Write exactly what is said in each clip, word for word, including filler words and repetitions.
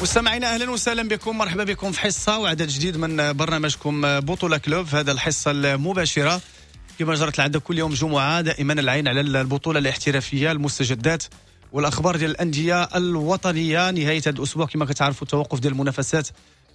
مستمعينا اهلا وسهلا بكم، مرحبا بكم في حصة وعدد جديد من برنامجكم بطوله كلوب. في هذا الحصة المباشرة كما جرت العادة كل يوم جمعه دائما العين على البطولة الاحترافية، المستجدات والاخبار ديال الاندية الوطنية. نهاية هذا الاسبوع كما كتعرفوا التوقف ديال المنافسات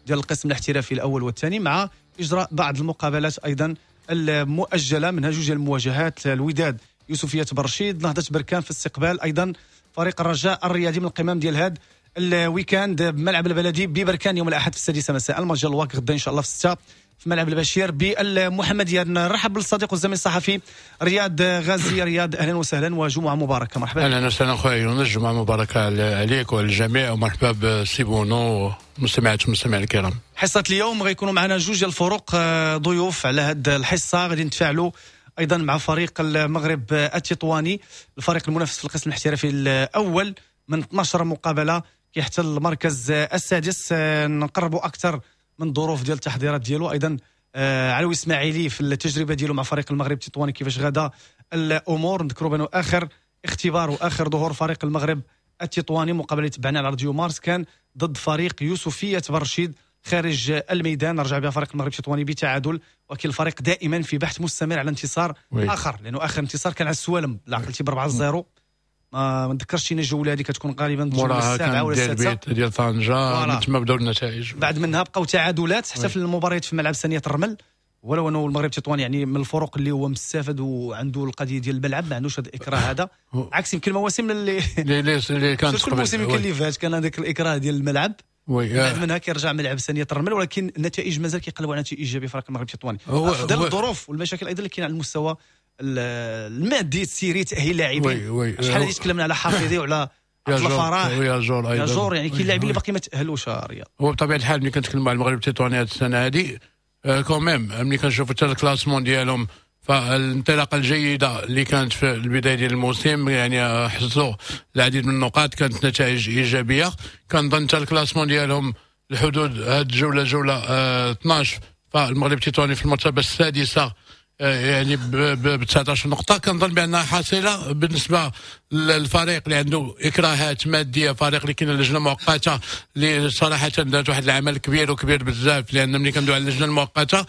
ديال القسم الاحترافي الاول والثاني، مع اجراء بعض المقابلات ايضا المؤجلة، منها جوج المواجهات: الوداد يوسفيه برشيد، نهضة بركان في استقبال ايضا فريق الرجاء الرياضي من القمام ديال هذا ال week-end بملعب البلدي ببركان يوم الاحد في السادسة مساء. الماتش الواك غدا ان شاء الله في الستة في ملعب البشير بالمحمديه. نرحب بالصديق والزميل الصحفي رياض غازي. رياض، اهلا وسهلا وجمعه مباركه، مرحبا. اهلا وسهلا خويا يونس، جمعه مباركة عليك وعلى الجميع، ومرحبا بسي بونو ومستمعات والمستمعين الكرام. حصة اليوم غيكونوا معنا جوج ديال الفرق آه، ضيوف على هذه الحصه. غادي نتفاعلوا ايضا مع فريق المغرب التطواني، الفريق المنافس في القسم الاحترافي الاول، من اثنا عشر مقابله كيحتل المركز السادس. آه، نقربوا اكثر من الظروف ديال التحضيرات ديالو. ايضا آه، علوي اسماعيلي في التجربة ديالو مع فريق المغرب التطواني، كيفاش غدا الامور. نذكروا بانه اخر اختبار واخر ظهور فريق المغرب التطواني، مقابله تبعنا على راديو مارس، كان ضد فريق يوسفيه برشيد خارج الميدان، رجع بها فريق المغرب التطواني بتعادل، ولكن الفريق دائما في بحث مستمر على انتصار oui. اخر، لانه اخر انتصار كان على السوالم لا عقلتي ب أربعة صفر. ما ما نذكرش شي الجولة هذه، كتكون غالبا الجولة موراها السابعة كان ولا ديال السادسه. البيت ديال طنجه. voilà. من تما بداو النتائج. بعد منها بقاو تعادلات حتى oui. في المباريات في ملعب سانيه الرمل، ولو انه المغرب التطواني يعني من الفرق اللي هو مستافد وعنده القضية ديال الملعب، ما عندوش هذا الاكراه هذا، عكس يمكن المواسم اللي اللي اللي اللي كانت surtout الموسم يمكن oui. اللي فات كان هذاك الاكراه ديال الملعب. oui بعد منها كيرجع ملعب سانيه الرمل، ولكن النتائج مازال كيقلبوا على نتائج ايجابية فريق المغرب التطواني هو- افضل هو- الظروف والمشاكل ايضا اللي كاينه على المستوى المادي، تسيري تاهيل لاعبين. oui oui شحال هادي تكلمنا على حفيظي وعلى عبد الفراح ياجور ايضا. ياجور، يعني كاين لاعبين اللي باقي ما تاهلوش رياض. هو بطبيعة الحال ملي كنتكلموا على المغرب التطواني هذه السنة هذه، quand même ملي كنشوفوا حتى ال classement ديالهم، فالانطلاقه الجيدة اللي كانت في البداية ديال الموسم، يعني حصلوا العديد من النقاط، كانت نتائج ايجابيه. كنظن حتى ال classement ديالهم الحدود هذه الجوله، جولة آه اثنا عشر، فالمغرب التطواني في المرتبة السادسه آه، يعني ب تسعطاش نقطة. كنظن بأنها حاصلة بالنسبة للفريق اللي عنده إكراهات مادية، فريق اللي كاين لجنة مؤقتة اللي صراحة دارت واحد العمل كبير وكبير بزاف، لأن ملي كندوي على اللجنة المؤقتة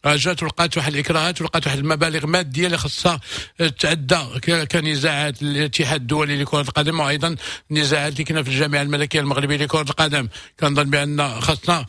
جات ولقات واحد الاكراهات ولقات واحد المبالغ مادية اللي خصها تعدى كنزاعات الاتحاد الدولي لكرة القدم وايضا النزاعات اللي كاينه في الجامعة الملكية المغربية لكرة القدم. كنظن بان خصنا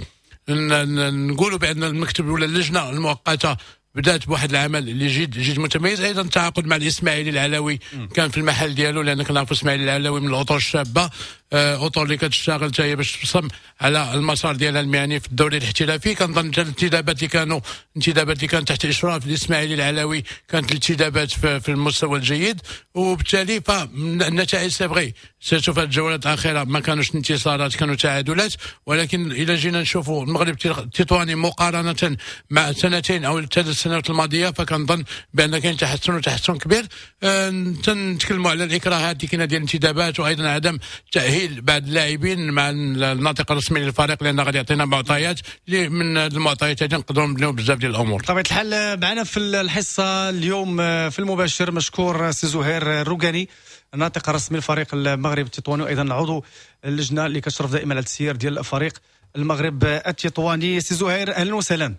نقولوا بان المكتب ولا اللجنة المؤقتة بدات بواحد العمل اللي جد جد متميز. ايضا التعاقد مع الاسماعيلي العلوي كان في المحل ديالو، لان كنعرفوا اسماعيل العلوي من الاطر الشابه، آه، اطر اللي كتشتغل حتى هي باش تبصم على المسار ديالها المهني في الدوري الاحترافي. كنظن الانتدابات اللي كانوا انتدابات اللي كانت تحت اشراف الاسماعيلي العلوي كانت الانتدابات في, في المستوى الجيد، وبالتالي فالنتائج c'est vrai surtout في الجولات الاخيرة ما كانوش انتصارات، كانوا تعادلات، ولكن اذا جينا نشوفوا المغرب التطواني مقارنة مع سنتين او ثلاث سنوات الماضيه، فكنظن بان كاين تحسن وتحسن كبير. أه نتكلموا على الاكراهات اللي كاينه ديال الانتدابات وايضا عدم تاهيل بعض اللاعبين مع الناطق الرسمي للفريق، لان غادي يعطينا معطيات اللي من المعطيات هذه نقدروا نبنيو بزاف ديال الامور. بطبيعة الحال معنا في الحصة اليوم في المباشر مشكور سي زهير الروقاني، الناطق الرسمي لفريق المغرب التطواني وايضا عضو اللجنة اللي كتشرف دائما على التسيير ديال فريق المغرب التطواني. سي زهير، اهلا وسهلا.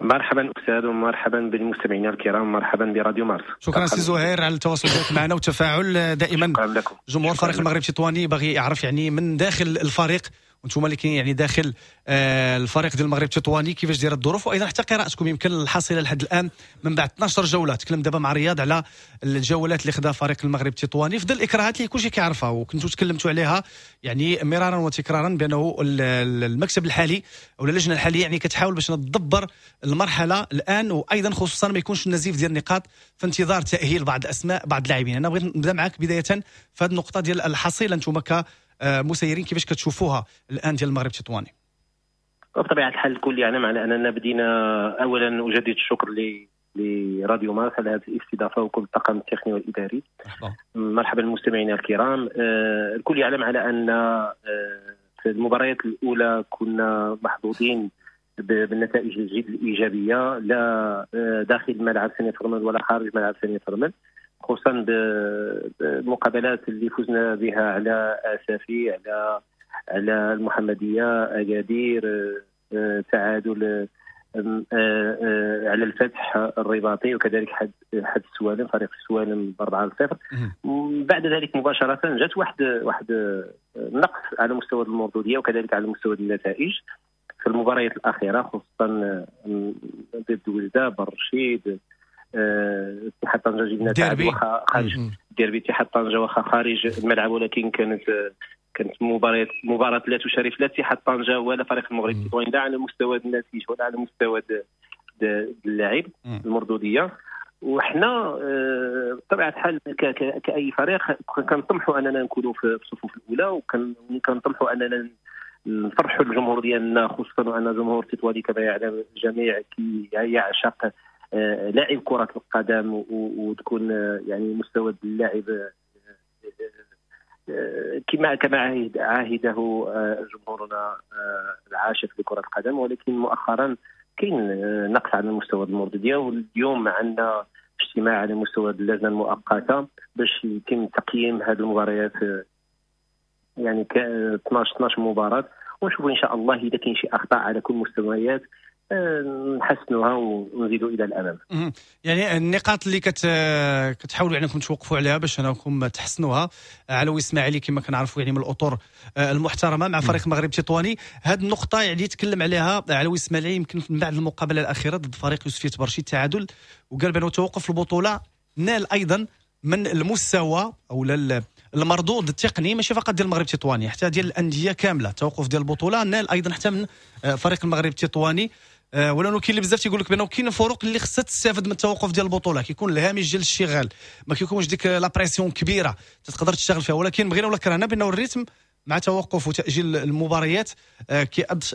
مرحبا استاذ، ومرحبا بالمستمعين الكرام، مرحبا براديو مارس. شكرا سي زهير على التواصل ديالك معنا والتفاعل دائما. شكرا لكم. جمهور فريق المغرب التطواني باغي يعرف يعني من داخل الفريق، وانتم اللي كاين يعني داخل آه، الفريق ديال المغرب التطواني، كيفاش دايرة الظروف، وايضا حتى قراءتكم يمكن الحصيلة لحد الان من بعد اثنا عشر جوله. تكلم دابا مع رياض على الجولات اللي خدا فريق المغرب التطواني في ظل الاكراهات اللي كلشي كيعرفها، وكنتوا تكلمتوا عليها يعني مرارا وتكرارا بانه المكتب الحالي او اللجنة الحالية يعني كتحاول باش تدبر المرحلة الان، وايضا خصوصا ما يكونش النزيف ديال النقاط في انتظار تاهيل بعض الاسماء، بعض اللاعبين. انا بغيت نبدا معك بداية في هذه النقطة ديال الحصيله، انتم كمسيرين كيفاش كتشوفوها الان ديال المغرب التطواني؟ بطبيعة الحال الكل يعلم على اننا بدينا. اولا اجدد الشكر لراديو مارس على هذه الاستضافة وكل الطاقم التقني والاداري. مرحبا. مرحبا المستمعين الكرام. آه، الكل يعلم على ان آه، في المباريات الاولى كنا محظوظين بالنتائج الجد الايجابيه، لا آه، داخل ملعب سانية الرمل ولا خارج ملعب سانية الرمل، خصوصا بالمقابلات اللي فزنا بها على اسافي، على على المحمدية، اكادير، تعادل على الفتح الرباطي، وكذلك حد حد السوالم، فريق السوالم بأربعة لصفر. بعد ذلك مباشرة جات واحد واحد نقص على مستوى المردودية وكذلك على مستوى النتائج في المباريات الأخيرة، خصوصا ضد وجدة، برشيد، اتحاد طنجة جبنا تعادل واخا خارج ديربي اتحاد طنجة واخا خارج الملعب، ولكن كانت كانت مباراة مباراة لا تشرف لا اتحاد طنجة ولا فريق المغرب التطواني، لا على مستوى النتيجة ولا على مستوى اللاعب المردودية. وحنا بطبيعة الحال كأي فريق كنطمحوا أننا نكونوا في الصفوف الأولى، وكنطمحوا أننا نفرحوا الجمهور ديالنا، خصوصا أن جمهور التطواني كما يعلم الجميع كي يعشق لاعب كرة القدم، وتكون يعني مستوى اللاعب كما كما عاهده جمهورنا العاشق لكرة القدم. ولكن مؤخرا كاين نقص على المستوى المردودية، واليوم عندنا اجتماع على مستوى اللجنة المؤقتة باش يتم تقييم هذه المباريات، يعني اثناش اثناش مباراة، ونشوفوا إن شاء الله إذا كاين شي أخطاء على كل المستويات نحسنوها ونزيدوا الى الامام. يعني النقاط اللي كت كتحاولوا انكم توقفوا عليها باش انكم تحسنوها، علوي اسماعيلي كما كنعرفوا يعني من الاطر المحترمة مع فريق المغرب التطواني، هذه النقطة يعني تكلم عليها علوي اسماعيلي يمكن من بعد المقابلة الاخيرة ضد فريق يوسفية برشي التعادل، وقال بانه توقف البطولة نال ايضا من المستوى او المردود التقني ماشي فقط ديال المغرب التطواني حتى ديال الاندية كاملة. التوقف ديال البطولة نال ايضا حتى من فريق المغرب التطواني، ولانه كاين اللي بزاف تيقول لك بانه كاين فرق اللي خصها تستافد من التوقف ديال البطولة، كيكون الهامش ديال الاشتغال ما كيكونش ديك la pression كبيرة تقدر تشتغل فيها، ولكن بغينا ولا كرهنا بانه ال rythme مع توقف وتاجيل المباريات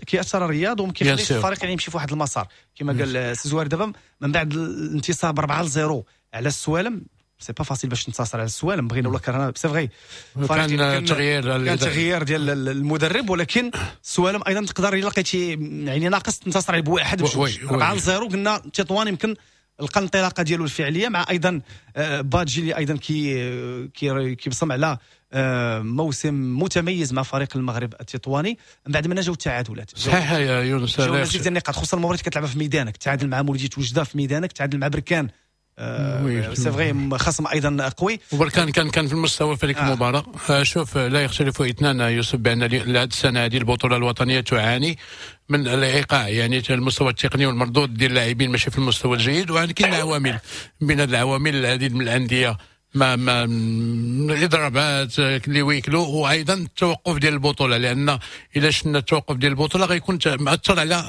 كيأثر الرياض وما كيخليش الفريق يعني يمشي في واحد المسار كما قال سي زوار. دابا من بعد الانتصار أربعة لصفر على السوالم، c'est pas facile باش تنتصر على السوالم بغينا ولا كرهنا، c'est vrai كان تغيير كان تغيير ديال المدرب، ولكن السوالم ايضا تقدر الا لقيتي يعني ناقص تنتصر عليه بواحد بجوج. أربعة لصفر قلنا تطوان يمكن لقى الانطلاقة ديالو الفعلية مع ايضا بادجي اللي ايضا كي كيبصم على موسم متميز مع فريق المغرب التطواني. من بعد ما جاو التعادلات صحيح يا يونس، جاو مزيد ديال النقاط، خصوصا المباراة كتلعبها في ميدانك، تعادل مع مولودية وجده في ميدانك، تعادل مع بركان، c'est vrai خصم ايضا قوي، وبركان كان كان في المستوى في هذيك آه. المباراة. شوف لا يختلف اثنان يوسف بان هذه السنة هذه البطولة الوطنية تعاني من الايقاع، يعني المستوى التقني والمردود ديال اللاعبين ماشي في المستوى الجيد، وكاين عوامل من هذه العوامل العديد من الاندية ما ما الاضرابات اللي ويكلو، وايضا التوقف ديال البطولة، لان الا شفنا التوقف ديال البطولة غيكون مأثر على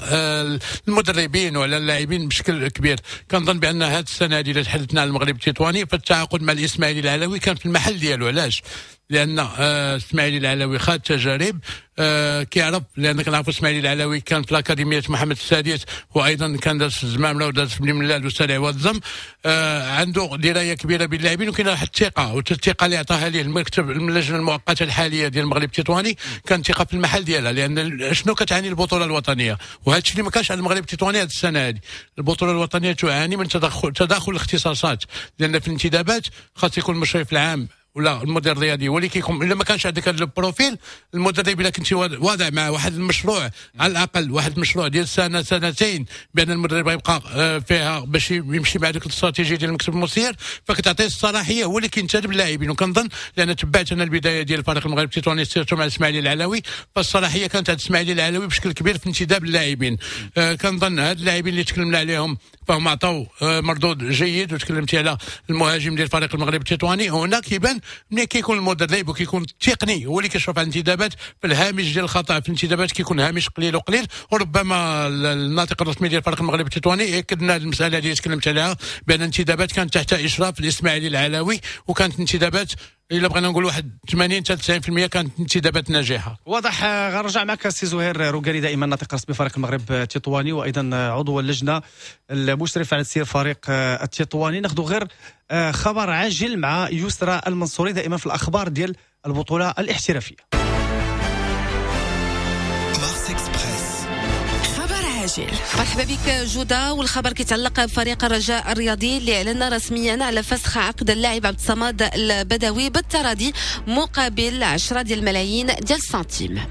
المدربين وعلى اللاعبين بشكل كبير. كنظن بان هذه السنة هذه اللي تحدثنا على المغرب التطواني فالتعاقد مع الاسماعيلي العلوي كان في المحل ديالو. علاش؟ لان اسماعيلي العلوي خاد تجارب، آه كيعرف، لان كنعرفوا اسماعيلي العلوي كان في الاكاديمية محمد السادس، وايضا كان داز في الزمامله وداز في بني ملال وسالع والزم، آه عنده دراية كبيرة باللاعبين، وكاين واحد الثقة، والثقة اللي عطاها ليه المكتب اللجنة المؤقتة الحالية ديال المغرب التطواني كان ثقة في المحل ديالها. لان شنو كتعاني البطولة الوطنية، وهذا الشيء اللي ما كانش على المغرب التطواني هذه السنة هذه، البطولة الوطنية تعاني من تدخل تداخل الاختصاصات، لان في الانتدابات خاص يكون المشرف العام ولا المدير الرياضي هو اللي كيكون، الا ما كانش عندك هذا ال profil المدرب، الا كنتي واضع مع واحد المشروع على الاقل واحد المشروع ديال سنة سنتين بان المدرب غيبقى فيها باش يمشي مع ديك الاستراتيجية ديال المكتب المسير، فكتعطيه الصلاحية هو اللي كينتدب اللاعبين. وكنظن لان تبعت انا البداية ديال الفريق المغرب التطواني surtout مع الاسماعيلي العلوي، فالصلاحيه كانت عند الاسماعيلي العلوي بشكل كبير في انتداب اللاعبين. آه كنظن هاد اللاعبين اللي تكلمنا عليهم فهم عطاو آه مردود جيد، وتكلمتي على المهاجم ديال الفريق المغرب التطواني، هنا كيبان ملي كيكون المدرب وكيكون التقني هو اللي كيشرف على الانتدابات، في الهامش ديال الخطا في الانتدابات كيكون هامش قليل وقليل. وربما الناطق الرسمي ديال الفريق المغربي التطواني اكدنا المسالة اللي تكلمت عليها بان الانتدابات كانت تحت اشراف الاسماعيلي العلوي، وكانت انتدابات الا بغينا نقول واحد ثمانين حتى تسعين بالمئة كانت انتدابات ناجحة. واضح. غنرجع معك سي زهير روكالي دائما ناطق رسمي فريق المغرب التطواني وايضا عضو اللجنة المشرف على تسيير فريق التطواني. ناخذ غير خبر عاجل مع يسرى المنصوري دائما في الاخبار ديال البطولة الاحترافية. مرحبا بك جودة. والخبر كيتعلق بفريق الرجاء الرياضي اللي اعلن رسميا على فسخ عقد اللاعب عبد الصمد البدوي بالتراضي مقابل عشرة ديال الملايين ديال السنتيم.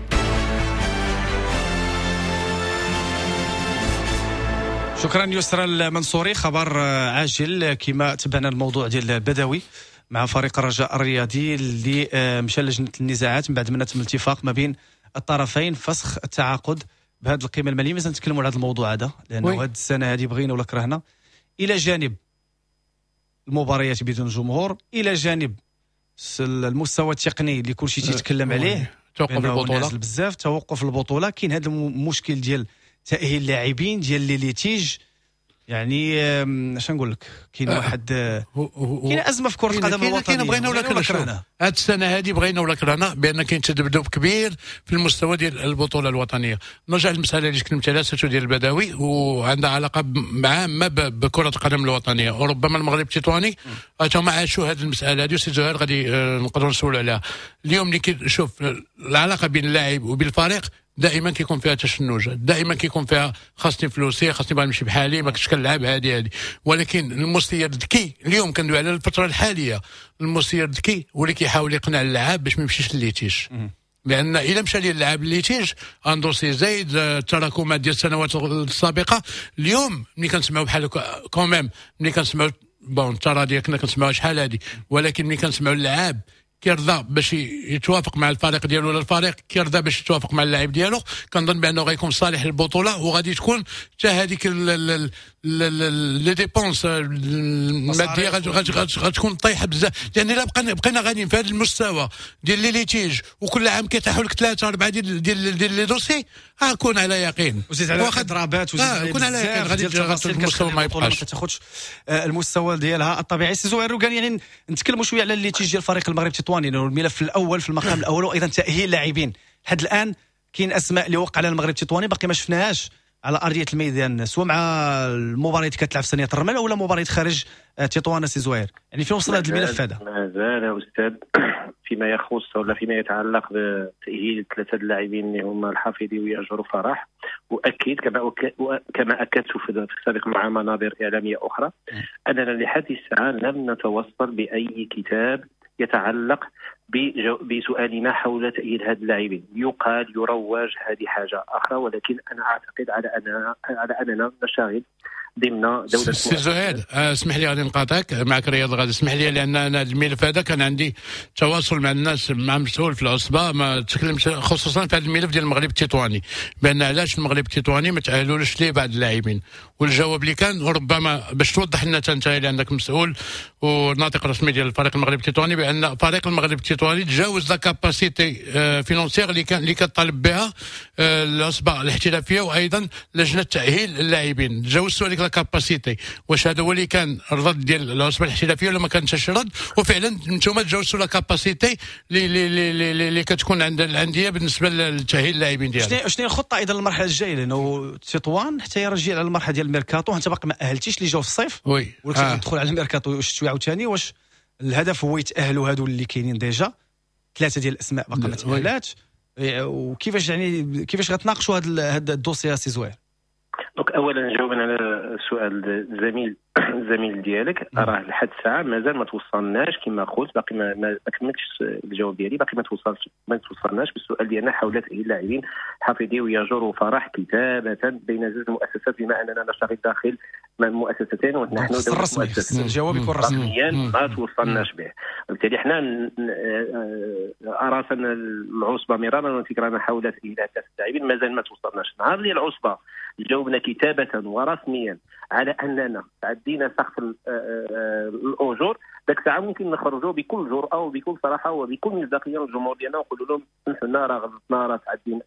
شكرا يسرى المنصوري. خبر عاجل كما تبعنا الموضوع ديال البدوي مع فريق الرجاء الرياضي اللي مشى لجنة النزاعات من بعد ما تم الاتفاق ما بين الطرفين فسخ التعاقد بهذه القيمة المالية. مازال نتكلموا على هذا الموضوع هذا لانه هذه السنة هذه بغينا ولا كرهنا، الى جانب المباريات بدون جمهور، الى جانب المستوى التقني اللي كلشي تيتكلم عليه، توقف البطولة بزاف، توقف البطولة، كاين هذا المشكل ديال تاهيل اللاعبين ديال les litiges. يعني اش نقول لك، كاين واحد كاين ازمة في كره القدم الوطنية. بغينا ولا كرهنا هذه السنة هذه، بغينا ولا كرهنا بان كاين تذبذب كبير في المستوى ديال البطولة الوطنية. نرجع للمسالة اللي تكلمت عليها surtout ديال البدوي، وعندها علاقة عامة بكره القدم الوطنية، وربما المغرب التطواني هما عاشوا هذه المسالة هذه. سي زهير غادي نقدروا نسولوا عليها اليوم. اللي كيشوف العلاقة بين اللاعب وبين الفريق دائما كيكون فيها تشنج، دائما كيكون فيها خاصني فلوسي، خاصني باغي نمشي بحالي، ما كنتش كنلعب هذه هذه. ولكن المسير الذكي اليوم كندوي على الفترة الحالية، المسير الذكي هو اللي كيحاول يقنع اللاعب باش ما يمشيش لل litige، لان الا مشى ليه اللاعب لل litige un dossier زايد التراكمات ديال السنوات السابقة. اليوم ملي كنسمعوا بحال quand même ملي كنسمعوا bon التراضي كنا كنسمعوا شحال هذه، ولكن ملي كنسمعوا اللاعب كيرضى باش يتوافق مع الفريق ديالو ولا الفريق كيرضى باش يتوافق مع اللاعب ديالو، كنظن بانه غيكون صالح للبطولة، وغادي تكون حتى هذيك les dépenses المادية غتكون طايحة بزاف. لان الا بقينا بقينا غاديين في هذا المستوى ديال les litiges وكل عام كيطيحوا لك ثلاثة اربعة ديال ديال ديال les dossiers، كون على يقين وزيد على اضرابات وزيد على كون على يقين غادي المستوى ما يبقاش، ما تاخذش المستوى ديالها الطبيعي. سي زهير روكان، يعني نتكلموا شوية على ال litige ديال فريق المغرب التطواني، لانه الملف الاول في المقام الاول، وايضا تاهيل اللاعبين. لحد الان كاين اسماء اللي وقع على المغرب التطواني باقي ما شفناهاش على ارضية الميدان، سواء مع المباريات كتلعب في سانية الرمل ولا مباريات خارج تطوان. سي زهير، يعني فين وصل هذا الملف هذا؟ مازال يا استاذ فيما يخص ولا فيما يتعلق بتاهيل ثلاثة اللاعبين اللي هما الحفيظي وياجور فرح، واكيد كما كما اكدت في السابق مع منابر اعلامية اخرى اننا لحد الساعة لم نتوصل باي كتاب يتعلق بسؤالنا حول تأهيل هذه اللاعبين. يقال يروج هذه حاجة أخرى، ولكن أنا أعتقد على أننا على أننا نشتغل ضمن دولة. سي زهير اسمح لي غادي نقاطعك، معك رياض غادي اسمح لي، لأن أنا الملف هذا كان عندي تواصل مع الناس، مع مسؤول في العصبة، ما تكلمت خصوصا في هذا الملف ديال المغرب التطواني، بأن علاش المغرب التطواني ما تأهلولوش ليه بعض اللاعبين، والجواب اللي كان ربما باش توضح لنا انت اللي عندك مسؤول وناطق رسمي ديال الفريق المغرب التطواني، بأن فريق المغرب التطواني تجاوز la capacité financière اللي كان اللي كطالب بها العصبة الاحترافية وايضا لجنة تأهيل اللاعبين، تجاوزتوا هذيك la capacité. واش هذا هو اللي كان الرد ديال العصبة الاحترافية ولا ما كانش رد؟ وفعلا انتم تجاوزتوا la capacité اللي اللي اللي كتكون عند الاندية بالنسبة لتاهيل اللاعبين ديالها. شنو هي الخطة ايضا للمرحلة الجاية؟ لانه تطوان حتى يرجع على المرحلة ديال الميركاتو، انت باقي ما اهلتيش اللي جاو في الصيف، oui ولكن آه. تدخل على الميركاتو الشتوي عاوتاني. واش الهدف هو يتاهلوا هادو اللي كاينين déjà ثلاثة ديال الاسماء باقي ما تاهلاتش، وكيفاش يعني كيفاش غتناقشوا هذا هذا ال dossier سي زهير؟ donc اولا جاوبا على سؤال الزميل الزميل ديالك، راه لحد الساعة مازال ما توصلناش كما قلت، باقي ما, ما كملتش الجواب ديالي، باقي ما توصلش ما توصلناش بالسؤال ديالنا حول تاهيل اللاعبين حفيظي وياجور وفرح كتابه بين زوج المؤسسات، بما اننا نشتغل داخل مؤسستين ونحن دولة مؤسسة، الجواب يكون رسميا ما توصلناش به. وبالتالي حنا اراسلنا العصبة مرارا وتكرارا حول تاهيل ثلاثة اللاعبين، مازال ما توصلناش. نهار اللي العصبة جاوبنا كتابه ورسميا على اننا تعدينا سقف الاجور، ذاك الساعة ممكن نخرجوا بكل جرأه وبكل صراحة وبكل مصداقية للجمهور ديالنا ونقولوا لهم سمحوا لنا راه غلطنا، راه تعدينا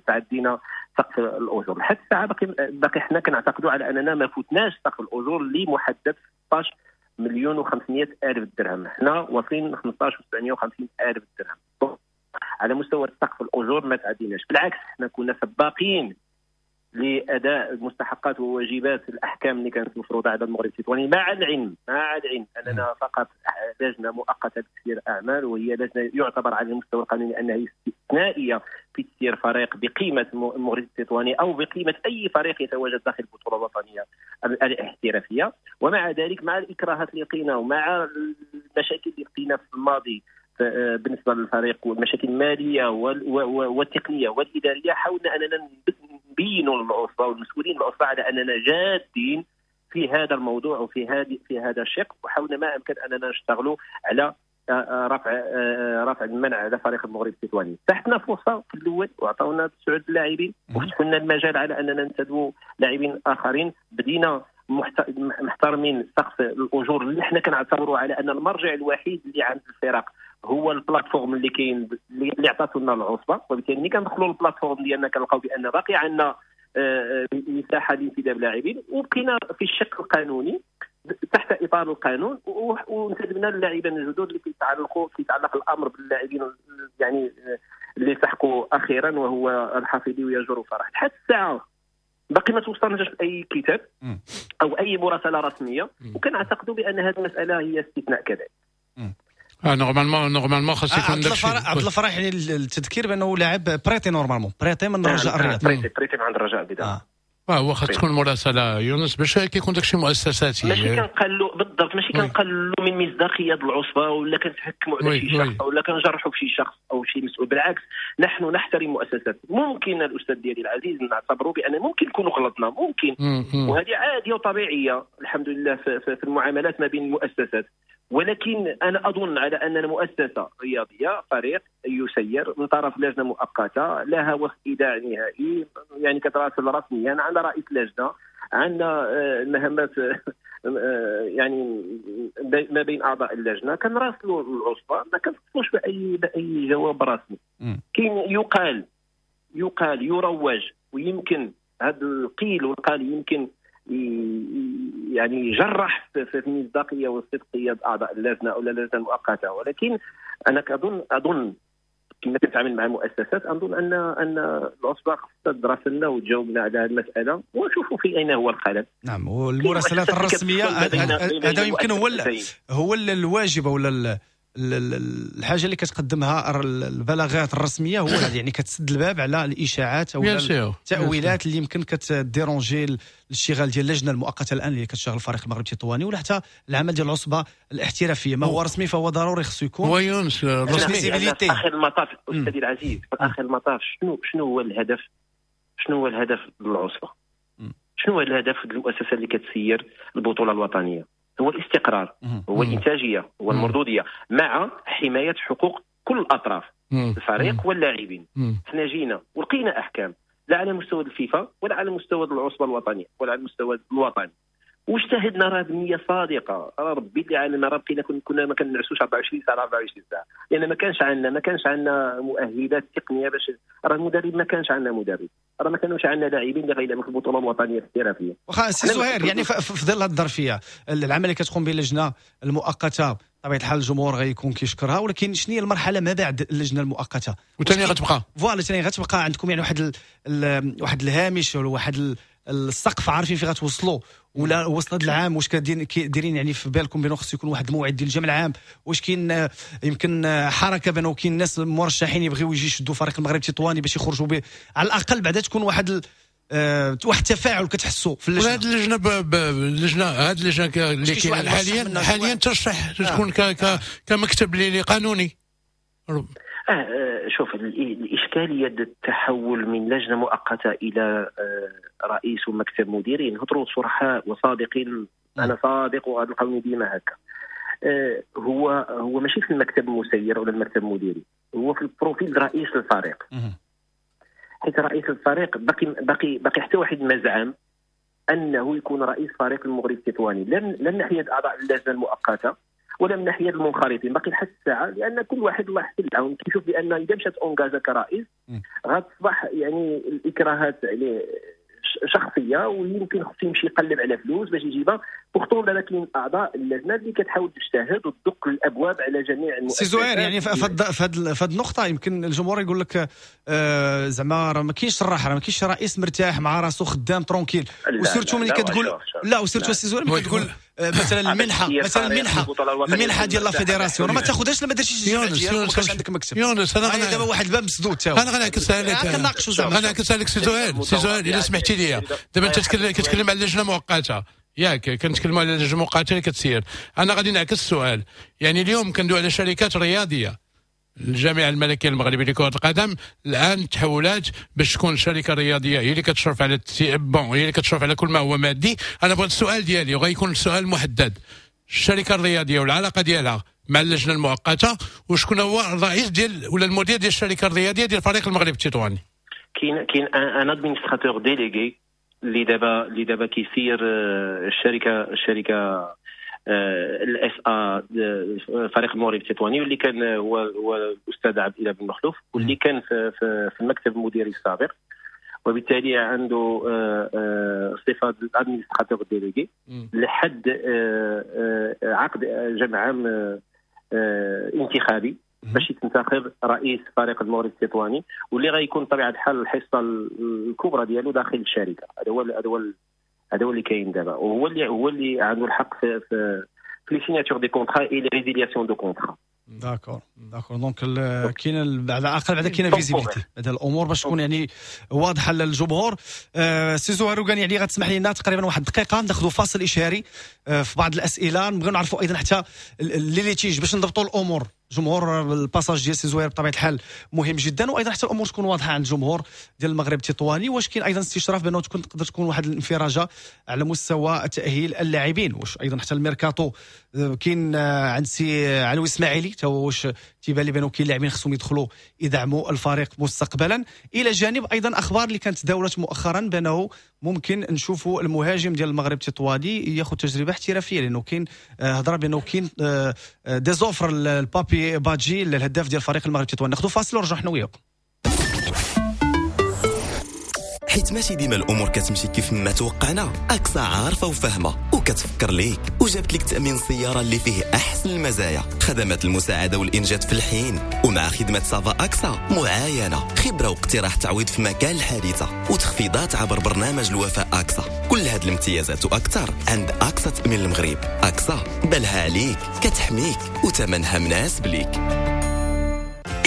تعدينا سقف الاجور. لحد الساعة باقي باقي حنا كنعتقدوا على اننا ما فوتناش سقف الاجور اللي محدد ستة عشر مليون وخمسمائة الف درهم، حنا واصلين خمسة عشر وسبعمائة وخمسين الف درهم على مستوى سقف الاجور، ما تعديناش. بالعكس حنا كنا سباقين لاداء المستحقات وواجبات الاحكام اللي كانت مفروضة على المغرب التطواني، مع العلم مع العلم اننا فقط لجنة مؤقتة لتسيير اعمال، وهي لجنة يعتبر على المستوى القانوني انها استثنائية في تسيير فريق بقيمة المغرب التطواني او بقيمة اي فريق يتواجد داخل البطولة الوطنية الاحترافية. ومع ذلك مع الاكراهات اللي لقينا ومع المشاكل اللي لقينا في الماضي بالنسبة للفريق والمشاكل المالية والتقنية والادارية، حاولنا اننا نبينوا للعصبه والمسؤولين العصبة على اننا جادين في هذا الموضوع وفي هذه في هذا الشق، وحاولنا ما امكن اننا نشتغلوا على رفع رفع المنع على فريق المغرب التطواني. تحتنا فرصة في الاول وعطاونا تسعة لاعبين وفتحوا لنا المجال على اننا ننتدبوا لاعبين اخرين. بدينا محترمين سقف الاجور اللي حنا كنعتبروا على ان المرجع الوحيد اللي عند الفرق هو ال plateforme اللي كاين اللي عطاتو لنا العصبة، وبالتالي ملي كندخلوا لل plateforme ديالنا كنلقاو بان باقي عندنا مساحة لانتداب لاعبين، وبقينا في الشق القانوني تحت اطار القانون وانتدبنا اللاعبين الجدد اللي كيتعلقوا كيتعلق الامر باللاعبين يعني اللي التحقوا اخيرا وهو الحفيدي ويجر فرح. لحد الساعة باقي ما توصلناش اي كتاب او اي مراسله رسمية، وكنعتقدوا بان هذه المسالة هي استثناء كذلك. اه normalement normalement خاص يكون داك الشيء. عبد الفرح يعني التذكير بانه لاعب prêté normalement prêté من الرجاء الرياضي، prêté prêté من عند الرجاء البيضاء. اه هو خاص تكون مراسله يونس باش كيكون داك الشيء مؤسساتي، ماشي كنقلوا بالضبط، ماشي كنقلوا من مصداقية العصبة ولا كنتحكموا على شي شخص ولا كنجرحوا في شي شخص او شي مسؤول. بالعكس نحن نحترم مؤسسات. ممكن الاستاذ ديالي العزيز نعتبروا بان ممكن نكونوا غلطنا، ممكن، وهذه عادية وطبيعيه الحمد لله في, في المعاملات ما بين المؤسسات. ولكن انا اظن على اننا مؤسسة رياضية، فريق يسير من طرف لجنة مؤقتة لها وفد ايداع نهائي، يعني كتراسل رسميا، عندنا رئيس لجنة، عندنا المهمات يعني ما بين اعضاء اللجنة، كنراسلوا العصبة، ما كنوصلوش باي باي جواب رسمي. كاين يقال يقال يروج، ويمكن هذا القيل والقال يمكن يعني جرح في المصداقية والصدقيه اعضاء اللجنة او اللجنة المؤقتة. ولكن انا كظن اظن كما كنتعامل مع مؤسسات، اظن ان ان العصبة خصها تدرسنا وتجاوبنا على هذه المسالة ونشوفوا في اين هو الخلل. نعم، والمراسلات الرسمية هذا يمكن هو هو الواجب ولا الحاجة اللي كتقدمها البلاغات الرسمية، هو يعني كتسد الباب على الاشاعات او التاويلات اللي يمكن كت déranger الاشتغال ديال اللجنة المؤقتة الان اللي كتشتغل الفريق المغرب التطواني، ولا حتى العمل ديال العصبة الاحترافية. ما هو رسمي فهو ضروري خصو يكون. هو يونس رسمي. في اخر المطاف استاذي العزيز، في اخر المطاف شنو شنو هو الهدف؟ شنو هو الهدف للعصبه؟ شنو هو الهدف المؤسسة اللي كتسير البطولة الوطنية؟ هو الاستقرار، هو الإنتاجية، هو المردودية، مع حماية حقوق كل الأطراف، الفريق واللاعبين. احنا جينا ولقينا أحكام لا على مستوى الفيفا ولا على مستوى العصبة الوطنية ولا على المستوى الوطني، واجتهدنا راه بنية صادقة. راه ربي اللي عالم، راه بقينا كنا ما كنعسوش أربعة وعشرين ساعة أربعة وعشرين ساعة، لأن ما كانش عندنا ما كانش عندنا مؤهلات تقنية باش راه المدرب ما كانش عندنا مدرب، راه ما كانوش عندنا لاعبين اللي غيلعبوا في البطولة الوطنية الاحترافية. واخا سي زهير، يعني في ظل هذه الظرفية العمل اللي كتقوم به اللجنة المؤقتة بطبيعة الحال الجمهور غيكون كيشكرها، ولكن شنو هي المرحلة ما بعد اللجنة المؤقتة؟ وثاني غتبقى voilà، ثاني غتبقى عندكم يعني واحد ال... واحد الهامش ولا واحد السقف عارفين فين غتوصلوا، ولا وصل هذا العام واش كديرين يعني في بالكم بانه خص يكون واحد الموعد ديال الجمع العام؟ واش كاين يمكن حركة بانه كاين ناس مرشحين يبغيو يجي يشدوا فريق المغرب التطواني باش يخرجوا به على الاقل بعدا تكون واحد ال... أه واحد التفاعل كتحسوا في اللجنة؟ هذه اللجنة ب... اللجنة هذه اللجنة اللي كاينه حاليا حاليا ترشح تكون ك... ك... كمكتب اللي قانوني. آه شوف، الإشكالية التحول من لجنة مؤقتة إلى رئيس ومكتب مديري، نهضروا صرحاء وصادقين، أنا صادق وهذا القانون ديما هكا. آه هو هو ماشي في المكتب المسير ولا المكتب المديري، هو في ال profil رئيس الفريق. حيت رئيس الفريق باقي باقي باقي حتى واحد ما زعم أنه يكون رئيس فريق المغرب التطواني، لا من ناحية أعضاء اللجنة المؤقتة ولا من ناحية المنخرطين، باقي لحد الساعة، لان كل واحد الله يحسن العون كيشوف بان اذا مشات engagea كرئيس غتصبح يعني الاكراهات عليه شخصية، ويمكن خصو يمشي يقلب على فلوس باش يجيبها. pourtant دابا كاين اعضاء اللجنة اللي كتحاول تجتهد وتدق الابواب على جميع المؤسسات. سي زهير، يعني في هذه النقطة يمكن الجمهور يقول لك آه زعما راه ما كاينش الراحة، راه ما كاينش رئيس مرتاح مع راسو خدام tranquille، و surtout ملي كتقول لا، و surtout سي زهير ملي كتقول مثلا المنحة، مثلا المنحة المنحة ديال la fédération ما تاخذهاش لما درتيش الجمع ديالك وما كانش عندك مكتب. يونس انا دابا واحد الباب مسدود تا هو. انا غنعكس عليك، كنناقشوا زعما، غنعكس عليك سي زهير. سي زهير الا سمحتي لي، دابا انت كتكلم على لجنة مؤقتة، ياك كنتكلموا على لجنة مؤقتة اللي كتسير. انا غادي نعكس السؤال، يعني اليوم كندوي على شركات رياضية، الجامعة الملكية المغربية لكرة القدم. الان تحولات باش تكون الشركة الرياضية هي اللي كتشرف على bon هي اللي كتشرف على كل ما هو مادي. انا بغيت السؤال ديالي وغيكون السؤال محدد، الشركة الرياضية والعلاقة ديالها مع اللجنة المؤقتة، وشكون هو الرئيس ديال ولا المدير ديال الشركة الرياضية ديال فريق المغرب التطواني؟ كاين كاين un administrateur délégué اللي دابا اللي دابا كيسير الشركة الشركة ال SA فريق المغرب التطواني، واللي كان هو هو الاستاذ عبد الاله بن مخلوف، واللي كان في, في, في المكتب المديري السابق، وبالتالي عنده صفة ال administrateur délégué لحد عقد جمع عام انتخابي باش يتنتخب رئيس فريق المغرب التطواني، واللي غيكون بطبيعة الحال الحصة الكبرى ديالو داخل الشركة. هذا هو هذا هو هذا هو اللي كاين دابا، وهو اللي هو اللي عنده الحق في في في les signatures des contrats et les résiliations de contrats. d'accord d'accord donc كاين على الاقل بعدا كاينه visibilité هذا الامور باش تكون يعني واضحة للجمهور. آه سي زهير روكاني، يعني غتسمح لنا تقريبا واحد الدقيقة ناخذوا فاصل اشهاري آه في بعض الاسئلة، نبغيو نعرفوا ايضا حتى les litiges باش نضبطوا الامور. جمهور ال passage ديال سي زهير بطبيعة الحال مهم جدا، وايضا حتى الامور تكون واضحة عند الجمهور ديال المغرب التطواني. واش كاين ايضا استشراف بانه تكون تقدر تكون واحد الانفراجه على مستوى تاهيل اللاعبين؟ واش ايضا حتى الميركاتو كاين عند سي علوي اسماعيلي تا واش تيبان لي بانه كاين لاعبين خصهم يدخلوا يدعموا الفريق مستقبلا؟ الى جانب ايضا اخبار اللي كانت تداولت مؤخرا بانه ممكن نشوفوا المهاجم ديال المغرب التطواني ياخذ تجربه احترافية، لانه كاين هضره بانه كاين des offres لبابي بادجي الهداف ديال فريق المغرب التطواني. ناخذ فاصل ونرجع حنا وياكم. حيت ماشي ديما الامور كتمشي كيف ما توقعنا، اكسا عارفه وفاهمه وكتفكر ليك وجابت لك تامين السيارة اللي فيه احسن المزايا، خدمات المساعدة والانجاز في الحين، ومع خدمة ça va اكسا معاينة، خبره واقتراح تعويض في مكان الحادثة، وتخفيضات عبر برنامج الوفاء اكسا. كل هاد الامتيازات واكثر عند اكسا تامين المغرب. اكسا بالها عليك، كتحميك وثمنها مناسب ليك.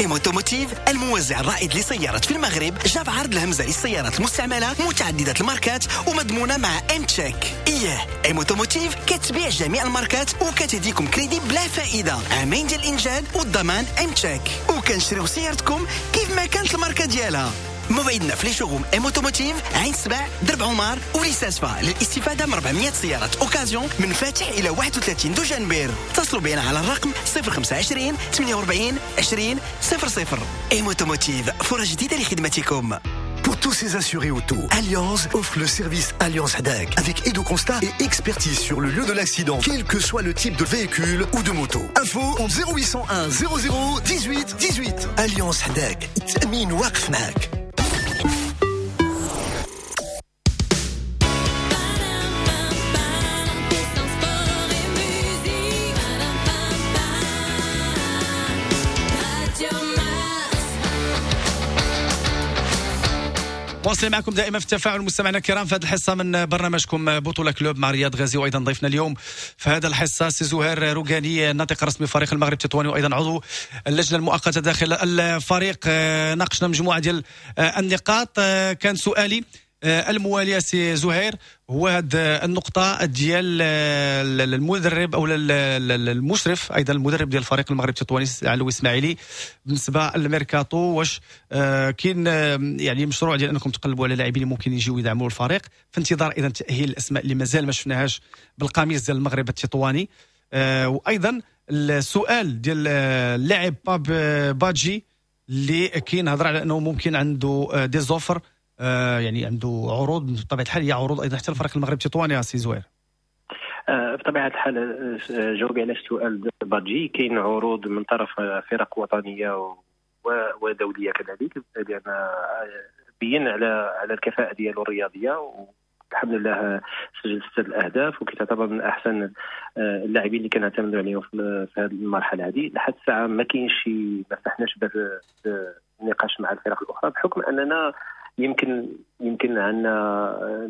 ام اوتوموتيف الموزع الرائد لسيارات في المغرب جاب عرض الهمزة للسيارات المستعملة متعددة الماركات ومضمونه مع ام تشيك. ايه ام اوتوموتيف كتبيع جميع الماركات وكتهديكم كريدي بلا فائدة، عامين ديال الانجاد والضمان ام تشيك، وكنشريو سيارتكم كيف ما كانت الماركة ديالها. موعدنا في les showrooms ام اوتوموتيف عين سبع درب عمر وليساسفا للاستفادة من أربعمية سيارة occasion من فاتح الى واحد وثلاثين دجنبر. اتصلوا بنا على الرقم صفر خمسة عشرين ثمانية وأربعين عشرين صفر صفر. ام اوتوموتيف فرص جديدة لخدمتكم. Pour tous ces assurés auto, Allianz offre le service Allianz Hadak avec aide au constat et expertise sur le lieu de l'accident, quel que soit le type de véhicule ou de moto. Info en zéro huit cent un zéro zéro dix-huit dix-huit. Allianz Hadak, تأمين واقف معك. واصلين معكم دائما في التفاعل مستمعينا الكرام في هذه الحصة من برنامجكم بطوله كلوب مع رياض غازي، وايضا ضيفنا اليوم في هذا الحصة سي زهير روكاني الناطق الرسمي فريق المغرب التطواني وايضا عضو اللجنة المؤقتة داخل الفريق. ناقشنا مجموعة ديال النقاط. كان سؤالي الموالي سي زهير هو هذه النقطة ديال المدرب أو المشرف أيضا المدرب ديال فريق المغرب التطواني علوي إسماعيلي بالنسبة للميركاتو، واش كاين يعني مشروع ديال أنكم تقلبوا على لاعبين اللي ممكن يجيو يدعموا الفريق في انتظار أيضا تأهيل الأسماء اللي مازال ما شفناهاش بالقميص ديال المغرب التطواني؟ وأيضا السؤال ديال اللاعب باب بادجي اللي كاين هضر على أنه ممكن عنده des offres، آه يعني عنده عروض بطبيعة الحال، هي عروض ايضا حتى الفريق المغرب التطواني سي زهير. آه بطبيعة الحال جاوبي على السؤال بادجي، كاين عروض من طرف فرق وطنية ودوليه كذلك، لان بين على على الكفاءة ديالو الرياضية، والحمد لله سجل ستة الاهداف وكيتعتبر من احسن اللاعبين اللي كنعتمدوا عليهم في هذه المرحلة هذه. لحد الساعة ما كاينش شي، ما فتحناش باب النقاش مع الفرق الاخرى بحكم اننا يمكن يمكن عندنا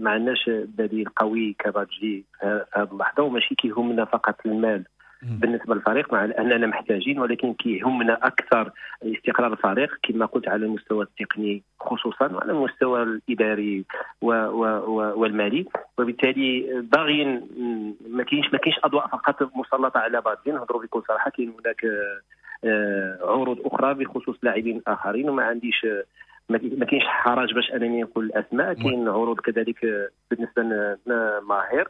ما عندناش بديل قوي كبادجي في هذه اللحظة، وماشي كيهمنا فقط المال بالنسبة للفريق مع اننا محتاجين، ولكن كيهمنا اكثر استقرار الفريق كما قلت على المستوى التقني خصوصا وعلى المستوى الاداري و و و والمالي. وبالتالي باغيين ما كاينش ما كاينش اضواء فقط مسلطه على بادجي، نهضروا بكل صراحة كاين هناك عروض اخرى بخصوص لاعبين اخرين، وما عنديش ما كاينش حرج باش انني نقول الاسماء. كاين عروض كذلك بالنسبة لماهر،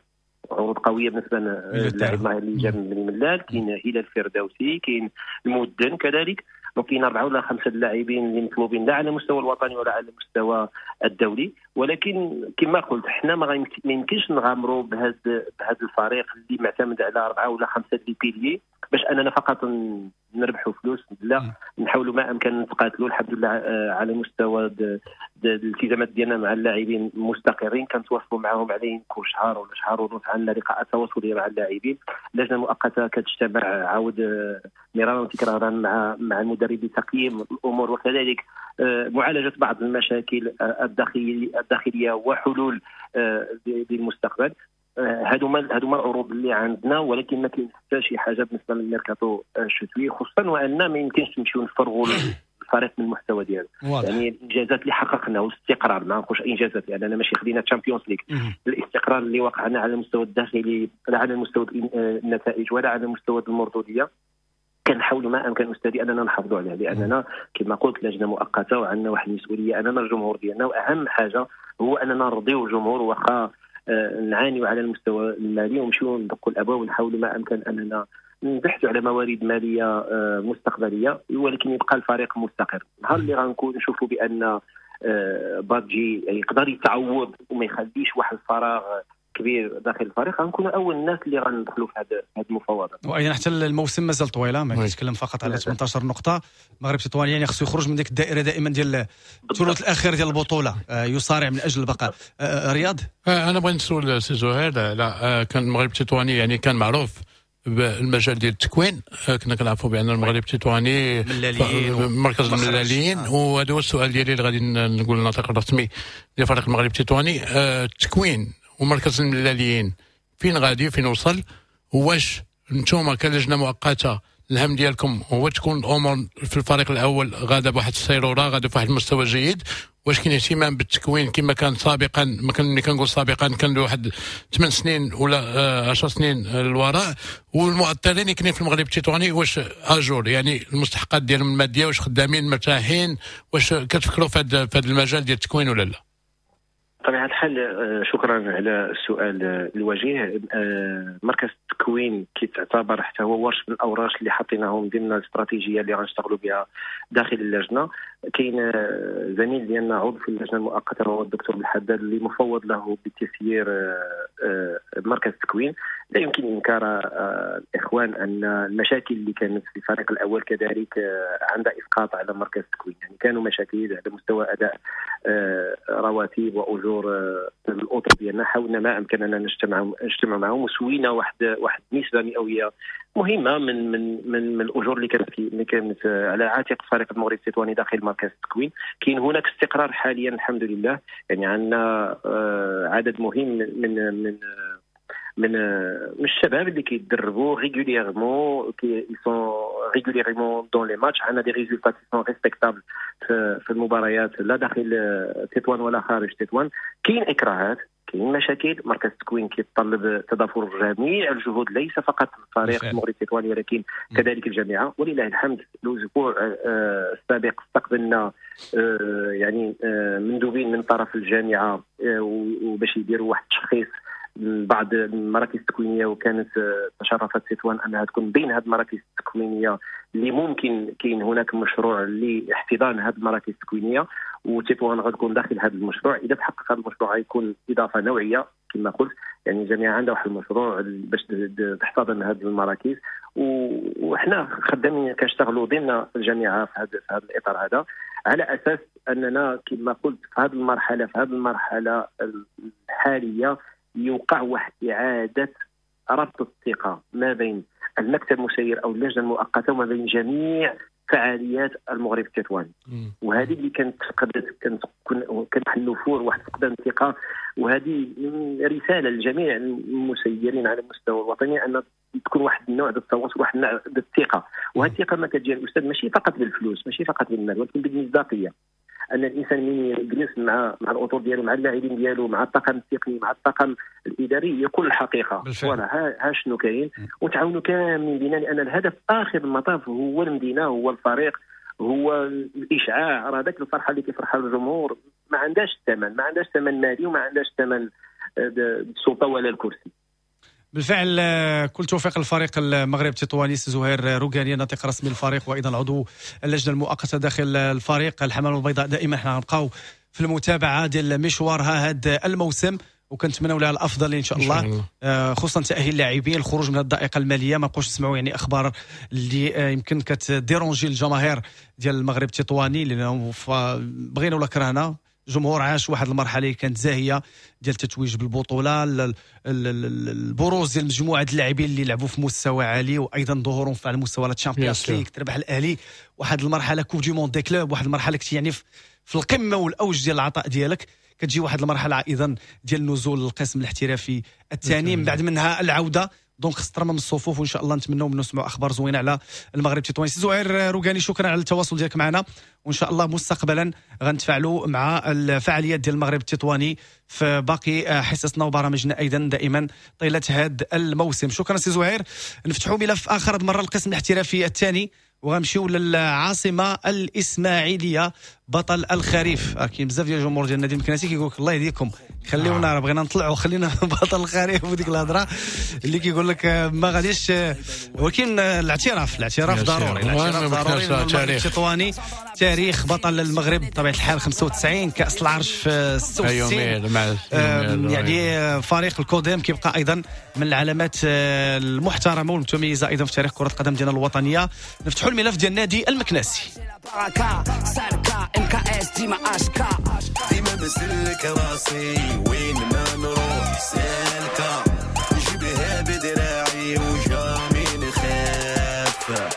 عروض قوية بالنسبة للاعب ماهر اللي جا من بني ملال، كاين هلال الفردوسي، كاين المودن كذلك. donc كاين اربعة ولا خمسة اللاعبين اللي مطلوبين لا على المستوى الوطني ولا على المستوى الدولي. ولكن كما قلت حنا ما يمكنش نغامروا بهذا بهذا الفريق اللي معتمد على اربعة ولا خمسة les piliers باش اننا فقط نربحوا فلوس. لا، نحاولوا ما امكن نتقاتلوا. الحمد لله على مستوى الالتزامات ديالنا مع اللاعبين مستقرين، كنتواصلوا معهم على كل شهر ولا شهر ونص، عندنا لقاءات تواصليه مع اللاعبين. اللجنة المؤقتة كتجتمع عاود مرارا وتكرارا مع مع المدرب لتقييم الامور وكذلك معالجة بعض المشاكل الداخلية وحلول للمستقبل. هادو ما هادو ما العروض اللي عندنا، ولكن ما كاين حتى شي حاجة بالنسبة للميركاتو الشتوي، خصوصا وان ما يمكنش نمشيو نفرغوا الفريق من المحتوى ديالو. يعني الانجازات اللي حققنا والاستقرار، ما نقولش انجازات لاننا ماشي خدينا Champions League، الاستقرار اللي وقعنا على المستوى الداخلي لا على المستوى النتائج ولا على المستوى المردوديه، كنحاولوا ما امكن استاذي اننا نحافظوا عليها، لاننا كما قلت لجنة مؤقتة وعندنا واحد المسؤولية امام الجمهور ديالنا، واهم حاجة هو اننا نرضيو الجمهور واخا نعانيوا على المستوى المالي ونمشيو ندقوا الابواب ونحاولوا ما امكن اننا نبحثوا على موارد ماليه مستقبلية، ولكن يبقى الفريق مستقر. نهار اللي غنكون نشوفوا بان بادجي يقدر يتعوض وما يخليش واحد الفراغ كبير داخل الفريق، غنكونوا اول الناس اللي غندخلوا في هذه المفاوضات. وايضا حتى الموسم مازال طويلة، ما كيتكلم فقط على ثمانية عشر نقطة. المغرب التطواني يعني خصو يخرج من ديك الدائرة دائما ديال الثلث الاخير ديال البطولة، يصارع من اجل البقاء. رياض، انا بغيت نسول سي زهير، لا كان المغرب التطواني يعني كان معروف بالمجال ديال التكوين، كنا كنعرفوا بان المغرب التطواني مركز الملاليين، وهذا هو السؤال ديالي اللي غادي نقول الناطق الرسمي ديال فريق المغرب التطواني. التكوين ومركز الملاليين فين غادي، فين وصل؟ واش نتوما كلجنه مؤقتة الهم ديالكم هو تكون الامور في الفريق الاول غادا بواحد السيروره، غادا بواحد المستوى جيد؟ واش كاين اهتمام بالتكوين كما كان سابقا؟ ما كان ملي كنقول سابقا كان واحد ثمان سنين ولا عشر سنين للوراء. والمؤطرين اللي كاينين في المغرب التطواني واش à jour يعني المستحقات ديالهم المادية، واش خدامين مرتاحين؟ واش كتفكروا في هذا المجال ديال التكوين ولا لا؟ بطبيعة الحال شكرا على السؤال الوجيه. مركز التكوين كيتعتبر حتى هو ورش من الاوراش اللي حطيناهم ضمن الاستراتيجية اللي غنشتغلوا بها داخل اللجنة. كاين زميل ديالنا عضو في اللجنة المؤقتة هو الدكتور بالحداد اللي مفوض له بتسيير مركز التكوين. لا يمكن انكار الاخوان ان المشاكل اللي كانت في الفريق الاول كذلك عندها اسقاط على مركز التكوين، يعني كانوا مشاكل على مستوى اداء رواتب واجور الاطر ديالنا. حاولنا ما امكننا نجتمع نجتمع معهم وسوينا واحد واحد نسبه مئوية مهمة من من من, من الاجور اللي كانت اللي كانت على عاتق فريق المغرب التطواني داخل مركز التكوين. كاين هناك استقرار حاليا الحمد لله، يعني عندنا عدد مهم من من من من الشباب اللي كيدربوا régulièrement، qui sont régulièrement dans les matchs. عندنا des résultats qui sont respectables في المباريات لا داخل تطوان ولا خارج تطوان. كاين اكراهات، كاين مشاكل. مركز التكوين كيتطلب تضافر جميع الجهود، ليس فقط الفريق المغرب التطواني ولكن كذلك الجامعة. ولله الحمد الاسبوع السابق استقبلنا يعني مندوبين من طرف الجامعة وباش يديروا واحد التشخيص بعض المراكز التكوينيه، وكانت تشرفت تطوان انها تكون بين هذه المراكز التكوينيه اللي ممكن كاين هناك مشروع لاحتضان هذه المراكز التكوينيه، وتطوان غتكون داخل هذا المشروع. اذا تحقق هذا المشروع غيكون اضافه نوعية كما قلت، يعني الجامعة عندها واحد المشروع باش تحتضن هذه المراكز، وحنا خدامين كنشتغلوا ضمن الجامعة في هذا في هذا الاطار هذا، على اساس اننا كما قلت في هذه المرحلة في هذه المرحلة الحالية يوقع واحد إعادة ربط الثقة ما بين المكتب المسير أو اللجنة المؤقتة وما بين جميع فعاليات المغرب التطواني. وهذه اللي كانت فقدت، كانت كان واحد النفور، واحد فقدان الثقة. وهذه رسالة لجميع المسيرين على المستوى الوطني أن تكون واحد النوع ديال التواصل، واحد النوع ديال الثقة. وهذه الثقة ما كتجي الأستاذ ماشي فقط بالفلوس، ماشي فقط بالمال، ولكن بالمصداقية. ان الانسان من يجلس مع مع الاطر ديالو، مع اللاعبين ديالو، مع الطاقم التقني، مع الطاقم الاداري، يقول الحقيقة voilà ها, ها شنو كاين، وتعاونوا كاملين بينا، لان الهدف اخر المطاف هو المدينه، هو الفريق، هو الاشعاع. راه ذاك الفرحة اللي كيفرحها الجمهور ما عندهاش ثمن، ما عندهاش ثمن مالي وما عندهاش ثمن السلطة ولا الكرسي. بالفعل كل توفيق للفريق المغرب التطواني. زهير روكاني ناطق رسمي للفريق وايضا عضو اللجنة المؤقتة داخل الفريق الحمام البيضاء، دائما حنا غنبقاو في المتابعة ديال مشوارها هذا الموسم وكنتمناو لها الافضل ان شاء الله، خصوصا تاهيل اللاعبين، الخروج من الضائقه المالية، ما نبقاوش نسمعوا يعني اخبار اللي يمكن كت déranger الجماهير ديال المغرب التطواني، لانه بغينا ولا كرهنا الجمهور عاش واحد المرحلة اللي كانت زاهيه ديال التتويج بالبطولة، البروز ديال مجموعة اللاعبين اللي لعبوا في مستوى عالي وايضا ظهورهم على مستوى ال Champions League، تربح الاهلي واحد المرحلة Coupe du monde des clubs، واحد المرحلة كنتي يعني في القمه والاوج ديال العطاء ديالك، كتجي واحد المرحلة ايضا ديال النزول للقسم الاحترافي الثاني، من بعد منها العودة. donc خص ترمم الصفوف، وان شاء الله نتمنوا منه نسمعوا اخبار زوينة على المغرب التطواني. سي زهير روكاني شكرا على التواصل ديالك معنا، وان شاء الله مستقبلا غنتفاعلوا مع الفعاليات ديال المغرب التطواني في باقي حصصنا وبرامجنا ايضا دائما طيلة هذا الموسم. شكرا سي زهير. نفتحوا ملف اخر المرة القسم الاحترافي الثاني، وغنمشيو للعاصمه الاسماعيلية بطل الخريف. كاين بزاف ديال الجمهور ديال النادي المكناسي كيقول لك الله يهديكم خليونا راه بغينا نطلعوا، خلينا بطل الخريف، وديك الهضرة اللي كيقول لك ما غاديش، ولكن الاعتراف الاعتراف ضروري، الاعتراف ضروري. التطواني تاريخ بطل المغرب بطبيعة الحال خمسة وتسعين، كاس العرش في ستة وستين، يعني فريق الكوديم كيبقى ايضا من العلامات المحترمة والمتميزه ايضا في تاريخ كره القدم ديالنا الوطنية. نفتحوا الملف ديال النادي المكناسي. ديما ديما بسلك راسي وين ما نروح سالكة، نجيبها بدراعي و jamais نخاف،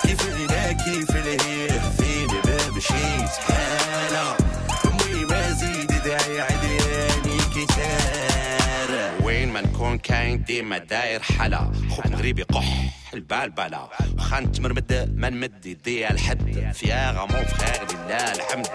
كيف هنا كيف الهيه فين بمشيت حالة، أمي ما زيد داعي عدياني كتار، وين ما نكون كاين ديما داير حلا، خوك مغربي قح البالبالة، واخا نتمرمد ما نمد يدي الحد، fier mon frère لله الحمد.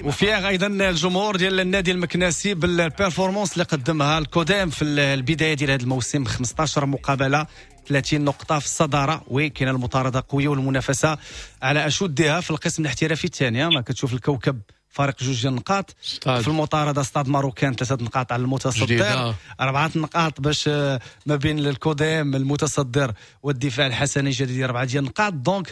و fier ايضا الجمهور ديال النادي المكناسي بال performance اللي قدمها الكودام في البداية ديال هذا الموسم، خمسطاش مقابله ثلاثين نقطة في الصدارة، oui كاينه المطارده قوية والمنافسه على اشدها في القسم الاحترافي الثاني. ما كتشوف الكوكب فارق جوج ديال النقاط في المطارده، Stade Marocain ثلاثة نقاط على المتصدر، اربعة نقاط باش ما بين الكودام المتصدر والدفاع الحسني الجديد اربعة ديال النقاط. donc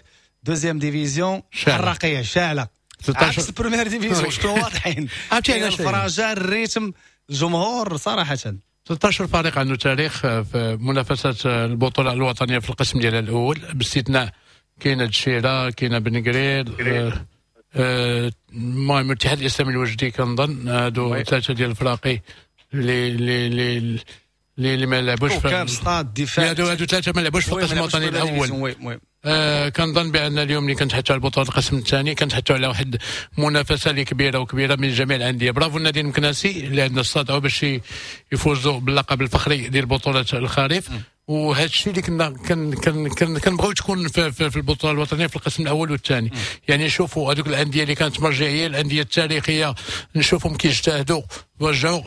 deuxième division حراقيه شاعله عكس ال première division، شكون واضحين عرفتي علاش الفراجه ال rythme الجمهور صراحة. ستة عشر فريق عنده تاريخ في منافسه البطولة الوطنية في القسم ديالها الاول، باستثناء كاينه الدشيره، كاينه بن قرير، المهم الاتحاد الاسلامي الوجدي كنظن هادو ثلاثة ديال الفراقي اللي اللي اللي ما لعبوش في ستاد دفاع، هادو هادو ثلاثة ما لعبوش في القسم الوطني الاول. آه كنظن بان اليوم اللي كنتحدثوا على البطولة القسم الثاني كنتحدثوا على واحد المنافسة اللي كبيرة وكبيره من جميع الاندية. برافو النادي المكناسي اللي عندنا استطاعوا باش يفوزوا باللقب الفخري ديال بطوله الخريف، وهذا الشيء اللي كنا كن كن كن كنبغيو تكون في, في, في البطولة الوطنية في القسم الاول والثاني. يعني نشوفوا هذوك الاندية اللي كانت مرجعية، الاندية التاريخية، نشوفهم كيجتهدوا ورجعوا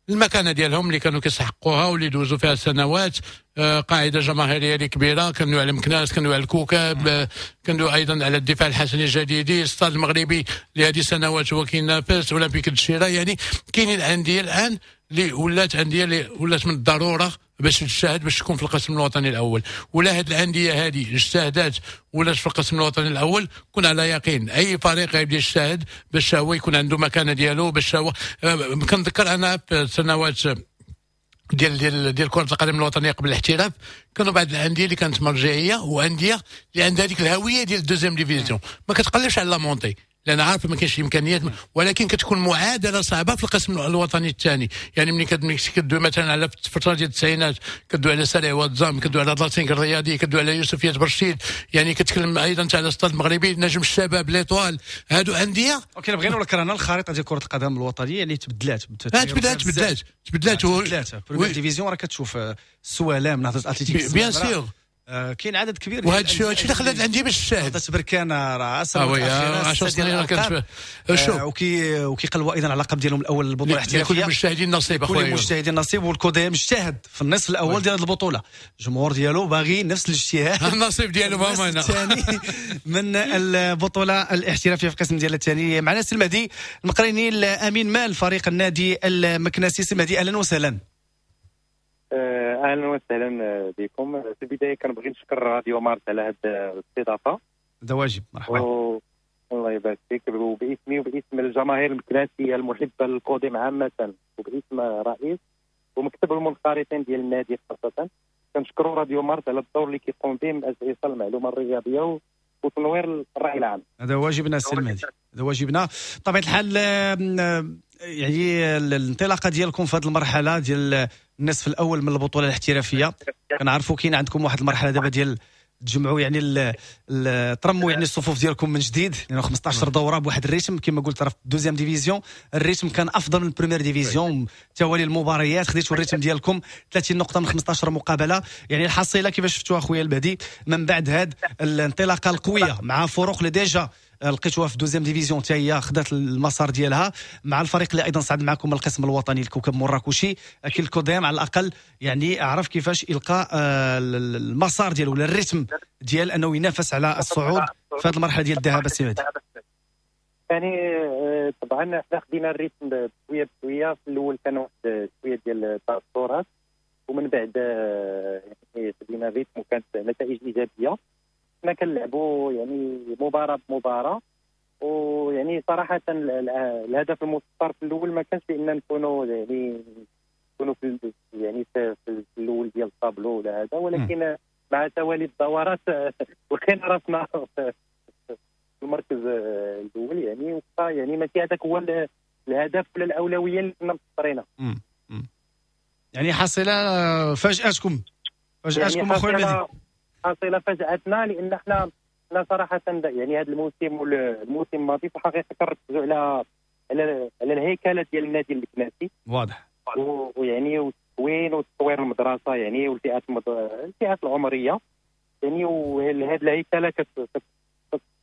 المكانة ديالهم اللي كانوا كيستحقوها واللي دوزوا فيها سنوات. آه قاعدة جماهيرية اللي كبيرة، كانوا على مكناس، كانوا على الكوكب، آه كانوا ايضا على الدفاع الحسني الجديدي، الستاد المغربي اللي هذه سنوات هو كينافس، اولمبيك الدشيره. يعني كاينين الاندية الان اللي ولات اندية اللي ولات من الضرورة باش تجتهد باش تكون في القسم الوطني الاول، ولا هاد الاندية هذه اجتهدات ولات في القسم الوطني الاول، كون على يقين اي فريق غيبدا يجتهد باش هو يكون عنده مكانه ديالو، باش هو كنذكر انا في سنوات ديال ديال ديال كره القدم الوطنية قبل الاحتراف كانوا بعض الاندية اللي كانت مرجعية وانديه اللي عندها هذيك الهوية ديال ال deuxième division، ما كتقلبش على la montée لان عارف ما كاينش امكانيات، ولكن كتكون معادلة صعبة في القسم الوطني الثاني. يعني ملي كدوي مثلا على الفترة ديال التسعينات كدوي على سريع واتزام، كدوي على لاتينك الرياضي، كدوي على يوسفيه برشيد، يعني كتكلم ايضا على ستاد المغربي، نجم الشباب، l'Étoile، هادو اندية. OK بغينا ولا كرهنا الخريطة ديال كره القدم الوطنية اللي تبدلات تبدلات تبدلات تبدلات تبدلات première division راه كتشوف السوالام، نهضة اتلتيك bien sûr. آه كاين عدد كبير. وهذا الشيء هادشي اللي خلات الاندية باش تشاهد. بركان راه عشر سنين كانت شوف وكي وكيقلبوا ايضا على اللقب ديالهم الاول البطولة الاحترافية. كل المجتهدين نصيب اخويا، كل المجتهدين نصيب. والكوديم اجتهد في النصف الاول ديال هذه البطولة، الجمهور ديالو باغي نفس الاجتهاد النصيب ديالو هما هنا الثاني من البطولة الاحترافية في القسم ديال الثاني. معنا السي المهدي المقريني الامين مال فريق النادي المكناسي. سي المهدي اهلا وسهلا. اهلا وسهلا بكم. في البداية كنبغي نشكر راديو مارس على هذه الاستضافة. هذا واجب، مرحبا. و... الله يبارك فيك. وباسمي وباسم الجماهير المكناسيه المحبة للقدم عامة، وباسم رئيس ومكتب المنخرطين ديال النادي خاصة، كنشكروا راديو مارس على الدور اللي كيقوم به من اجل ايصال المعلومة الرياضية وتنوير الراي العام. هذا واجبنا السي المهدي، هذا واجبنا. بطبيعة الحال يعني الانطلاقة ديالكم في هذه المرحلة ديال النصف الاول من البطولة الاحترافية، كنعرفوا كاين عندكم واحد المرحلة دابا ديال تجمعوا يعني ترموا يعني الصفوف ديالكم من جديد، لانه خمسطاش دوره بواحد ال rythme كما قلت راه في deuxième division ال rythme كان افضل من première division. توالي المباريات خديتوا ال rythme ديالكم ثلاثين نقطة من خمسطاش مقابله. يعني الحصيلة كيفاش شفتوها خويا المهدي من بعد هاد الانطلاقة القوية مع فرق اللي déjà لقيتوها في deuxième division حتى هي خدات المسار ديالها، مع الفريق اللي ايضا صعد معكم القسم الوطني الكوكب مراكشي، اكيد الكوديم على الاقل يعني عرف كيفاش يلقى المسار ديالو ولا ال rythme ديال انه ينافس على الصعود في هذه المرحلة ديال الذهاب. السي مهدي يعني طبعا حنا خدينا ال rythme بشوية بشوية. في الاول كان واحد شوية ديال التاثرات، ومن بعد يعني خدينا ال rythme وكانت نتائج ايجابية. حنا كنلعبوا يعني مباراة بمباراة، ويعني صراحة الهدف المسطر في الاول ما كانش بان نكونوا يعني نكونوا في يعني في, في الاول ديال الطابلو ولا هذا، ولكن مع توالي الدورات لقينا راسنا في المركز الاول. يعني وبقى يعني ماشي هذاك هو الهدف ولا الاولوية اللي كنا مسطرينها. يعني حصيله فاجاتكم فاجاتكم يعني اخويا المهدي؟ حصيله فاجاتنا، لان حنا حنا صراحة يعني هذا الموسم والموسم الماضي في الحقيقة كنركزوا على على على الهيكله ديال النادي المكناسي. واضح. ويعني والتكوين وتطوير المدرسة يعني والفئات المد... الفئات العمرية يعني، وهذه الهيكله كت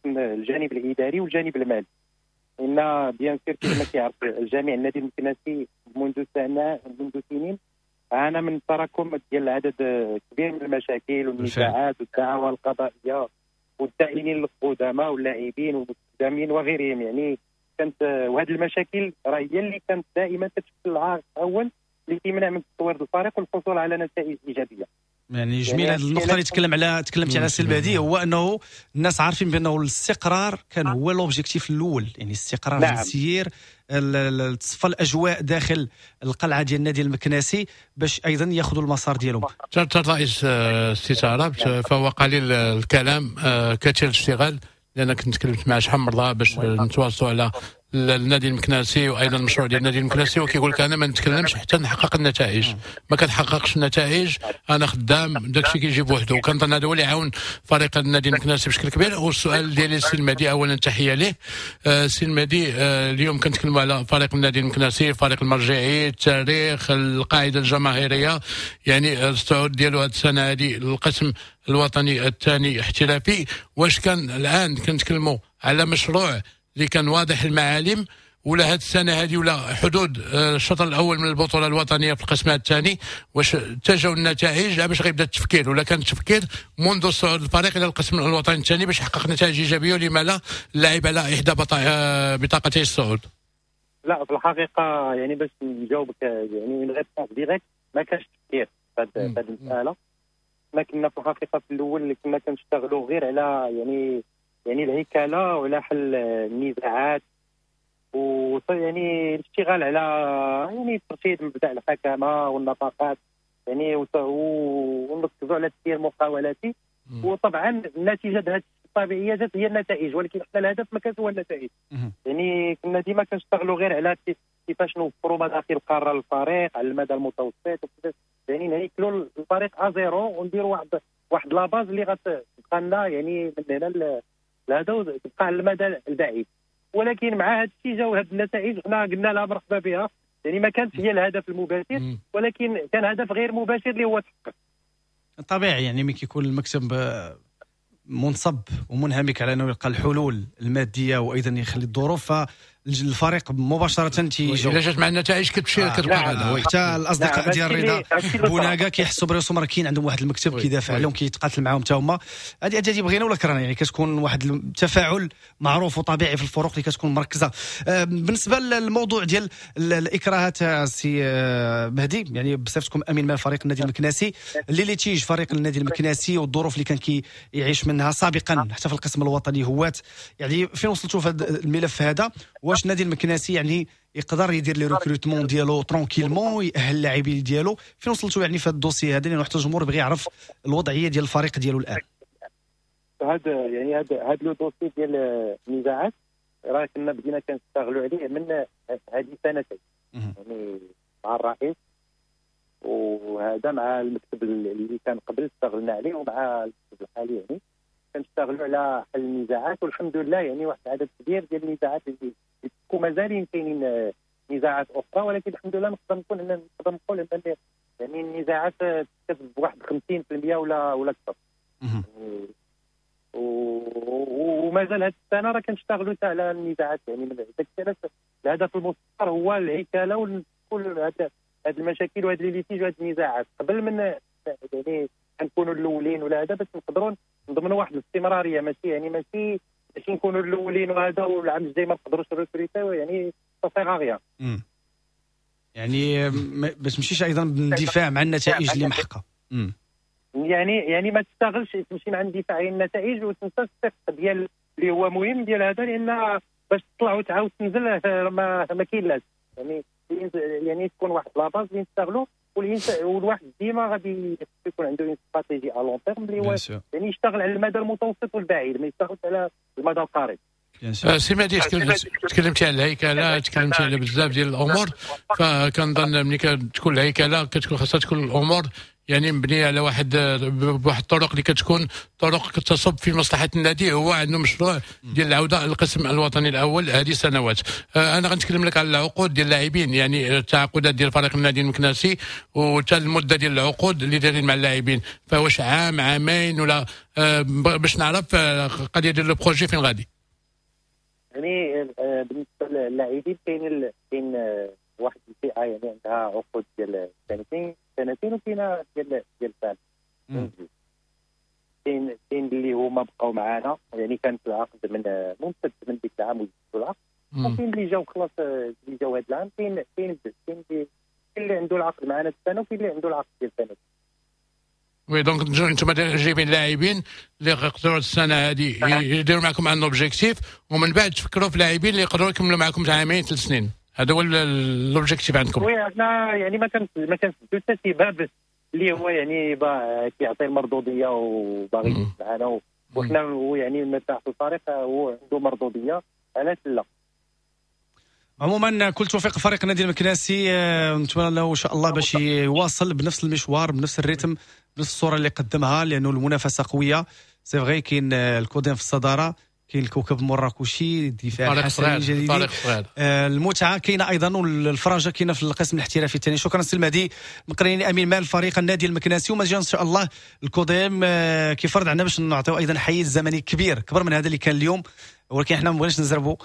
الجانب الاداري والجانب المالي. ان bien sûr كما كيعرف الجميع النادي المكناسي منذ سنة منذ سنين عانى من تراكم ديال عدد كبير من المشاكل والنزاعات والدعاوى القضائية والدائنين القدامى واللاعبين والمستخدمين وغيرهم. يعني كانت وهذه المشاكل راه هي اللي كانت دائما تشكل العائق الاول اللي كيمنع من تطوير الفريق والحصول على نتائج ايجابية. يعني جميل هذه النقطة اللي تكلم على تكلمت على السي المهدي، هو انه الناس عارفين بانه الاستقرار كان هو l'objectif الاول، يعني الاستقرار. نعم. في التسيير، تصفى الاجواء داخل القلعة ديال النادي المكناسي باش ايضا ياخذوا المسار ديالهم. حتى الرئيس السي تعربت فهو قليل الكلام كثير الاشتغال، لان كنت تكلمت مع شحال من مرة باش نتواصلوا على النادي المكناسي وايضا المشروع ديال النادي المكناسي، وكيقول لك انا ما نتكلمش حتى نحقق النتائج، ما كنحققش النتائج انا خدام داكشي كيجي بوحده. وكنظن هذا هو اللي عاون فريق النادي المكناسي بشكل كبير. والسؤال ديالي السي المهدي، اولا تحية ليه السي المهدي، اليوم كنتكلموا على فريق النادي المكناسي، الفريق المرجعي، التاريخ، القاعدة الجماهيرية، يعني الصعود ديالو هذه السنة هذه للقسم الوطني الثاني احترافي. واش كان الان كنتكلموا على مشروع اللي كان واضح المعالم، ولا هذه السنة هذه ولا حدود الشطر الاول من البطولة الوطنية في القسم الثاني واش اتجهوا النتائج باش غيبدا التفكير، ولا كان التفكير منذ صعود الفريق الى القسم الوطني الثاني باش يحقق نتائج ايجابية، ولما لا اللعب على احدى بطاقتي الصعود؟ لا في الحقيقة يعني باش نجاوبك يعني une réponse directe، ما كانش تفكير في هذه المسالة. ما كنا في الحقيقة في الاول كنا كنشتغلوا غير على يعني يعني الهيكله وعلى حل النزاعات، و يعني الاشتغال على يعني ترشيد مبدا الحكمة والنفقات يعني، ونركزوا على التسيير المقاولاتي. وطبعا النتيجة هذه الطبيعية جات هي النتائج، ولكن حنا الهدف ما كانش هو النتائج. يعني كنا ديما كنشتغلوا غير على كيفاش نوفروا مداخل قارة للفريق على المدى المتوسط، وكيفاش يعني نهيكلوا الفريق à zéro ونديروا واحد واحد la base اللي غتبقى لنا يعني من هنا لهذا تبقى على المدى البعيد. ولكن مع هذا الشيء جاو هذه النتائج، حنا قلنا لها مرحبا بها، يعني ما كانت هي الهدف المباشر، ولكن كان هدف غير مباشر اللي هو تحقق. طبيعي يعني ملي كيكون المكتب منصب ومنهمك على انه يلقى الحلول المادية وايضا يخلي الظروف، فالفريق مباشرة تيجاوب. الا جات مع النتائج كتمشي آه. كتبقى غادا. حتى الاصدقاء ديال رضا بوناكا كيحسوا براسهم راه كاين عندهم واحد المكتب كيدافع عليهم، كيتقاتل معاهم حتى هما. هذه هذه بغينا ولا كرهنا، يعني كتكون واحد التفاعل معروف وطبيعي في الفرق اللي كتكون مركزه. بالنسبة للموضوع ديال الاكراهات سي مهدي، يعني بصفتكم امين مال فريق النادي المكناسي، les litiges فريق النادي المكناسي والظروف اللي كان كيعيش منها سابقا حتى في القسم الوطني هوات، يعني فين وصلتوا في هذا الملف هذا؟ واش النادي المكناسي يعني يقدر يدير les recrutements ديالو tranquillement، يأهل اللاعبين ديالو؟ فين وصلتوا يعني في هذا ال dossier هذا، لانه حتى الجمهور بغى يعرف الوضعية ديال الفريق ديالو الان. هذا يعني هذا هذا le dossier ديال النزاعات راه كنا بدينا كنشتغلوا عليه من هذه سنتين، يعني مع الرئيس وهذا مع المكتب اللي كان قبل اشتغلنا عليه ومع المكتب الحالي، يعني كنشتغلوا على حل النزاعات، والحمد لله يعني واحد العدد كبير ديال النزاعات اللي ومازالين كاينين نزاعات اخرى، ولكن الحمد لله نقدر نكون نقدر نقول ان يعني النزاعات تكتب بواحد خمسين بالمية ولا ولا اكثر. ومازال هذه السنة راه كنشتغلوا حتى على النزاعات، يعني من داك الشيء الهدف المسطر هو الهيكله وكل هاد المشاكل وهاد les litiges وهاد النزاعات قبل من يعني نكونوا الاولين ولا هذا، باش نقدروا نضمنوا واحد الاستمرارية، ماشي يعني ماشي ماشي نكونوا الاولين وهذا والعام الجاي ما نقدروش نريكروتيو، يعني ça sert à rien. يعني باش تمشيش ايضا باندفاع مع النتائج اللي محققة. يعني يعني ما تشتغلش تمشي مع اندفاع النتائج وتنسى الثقة ديال اللي هو مهم ديال هذا، لان باش تطلع وتعاود تنزل ما ما كاين لاش، يعني يعني تكون واحد la base اللي نشتغلوا، والواحد ديما غادي يكون عنده une stratégie à long terme اللي هو يعني يشتغل على المدى المتوسط والبعيد، ما يشتغلش على المدى القريب. سي مهدي، تكلمتي على الهيكله، تكلمتي على بزاف ديال الامور، فكنظن ملي كتكون الهيكله كتكون خاصها تكون الامور يعني مبنية على واحد بواحد الطرق اللي كتكون طرق كتصب في مصلحة النادي. هو عنده مشروع ديال العودة للقسم الوطني الاول هذه سنوات. انا غنتكلم لك على العقود ديال اللاعبين، يعني التعاقدات ديال فريق النادي المكناسي وحتى المدة ديال العقود اللي دايرين مع اللاعبين، فواش عام عامين ولا باش نعرف القضية ديال ال projet فين غادي. يعني بالنسبة للاعبين كاين كاين واحد الفئة يعني عندها عقود ديال سنتين سنتين وكاينه ديال ديال سنة. كاين كاين اللي هما بقاو معانا، يعني كانت العقد من ممتد من ديك العام وجدوا العقد، وكاين اللي جاو خلاص اللي جاو هذا العام، كاين كاين كاين اللي عنده العقد معنا السنة وكاين اللي عنده العقد ديال سنتين. oui donc انتم جايبين لاعبين اللي يقدروا السنة هذه يديروا معكم un objectif، ومن بعد تفكروا في لاعبين اللي يقدروا يكملوا معكم عامين ثلاث سنين. هذا هو l'objectif عندكم. oui حنا يعني ما كان ما كنسدو حتى شي باب اللي هو يعني كيعطي المردوديه وباغي معنا، وحنا هو يعني مرتاح في الفريق هو عنده مردوديه، علاش لا. عموما كل توفيق فريق النادي المكناسي، نتمنى له ان شاء الله باش يواصل بنفس المشوار بنفس ال rythme بنفس الصورة اللي قدمها، لانه المنافسة قوية. c'est vrai كاين الكوديم في الصدارة، كاين الكوكب المراكشي، الدفاع الحسني الجديد، المتعة كاينه ايضا والفرجه كاينه في القسم الاحترافي الثاني. شكرا سي المهدي مقريني امين مال فريق النادي المكناسي. وما ان شاء الله الكوديم كيفرض عندنا باش نعطيو ايضا حيز زمني كبير كبر من هذا اللي كان اليوم، ولكن حنا ما بغيناش نزربوا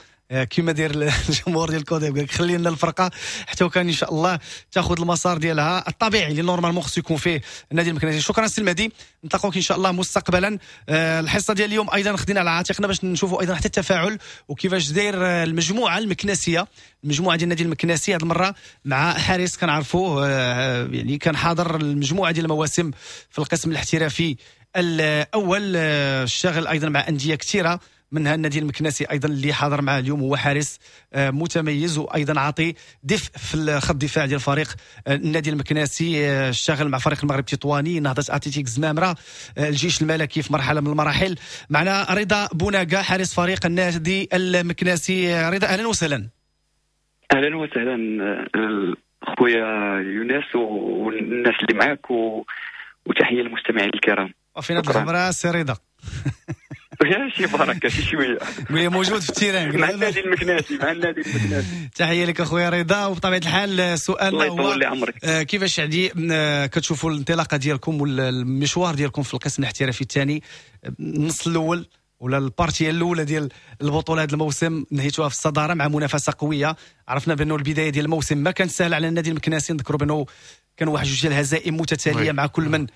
كما داير الجمهور ديال الكوديم، قال لك خلي لنا الفرقة حتى وكان ان شاء الله تاخذ المسار ديالها الطبيعي اللي normalement خصو يكون فيه النادي المكناسي. شكرا سي المهدي، نتلاقوك ان شاء الله مستقبلا. الحصة ديال اليوم ايضا خدينا على عاتقنا باش نشوفوا ايضا حتى التفاعل وكيفاش داير المجموعة المكناسيه، المجموعة ديال النادي المكناسي هذه المرة مع حارس كنعرفوه يعني كان حاضر المجموعة ديال المواسم في القسم الاحترافي الاول، اشتغل ايضا مع اندية كثيرة منها النادي المكناسي ايضا اللي حاضر معه اليوم، هو حارس متميز وايضا عاطي دفء في الخط الدفاع ديال فريق النادي المكناسي. اشتغل مع فريق المغرب التطواني، نهضة اتلتيك زمامرة، الجيش الملكي في مرحلة من المراحل. معنا رضا بوناكا حارس فريق النادي المكناسي. رضا اهلا وسهلا. اهلا وسهلا خويا يونس والناس اللي معاك و... وتحية للمستمعين الكرام. وفينا الخبرة سي رضا. شي بركة شي شوية. قول موجود في ال terrain مع النادي المكناسي، مع النادي المكناسي. تحية لك اخويا رضا. وبطبيعة الحال سؤالنا هو كيفاش يعني كتشوفوا الانطلاقة ديالكم والمشوار ديالكم في القسم الاحترافي الثاني، النص الاول ولا ال partie الاولى ديال البطولة هذا الموسم نهيتوها في الصدارة مع منافسه قوية. عرفنا بانه البداية ديال الموسم ما كانت سهلة على النادي المكناسي، نذكروا بانه كانوا واحد جوج ديال الهزائم متتالية مع كل من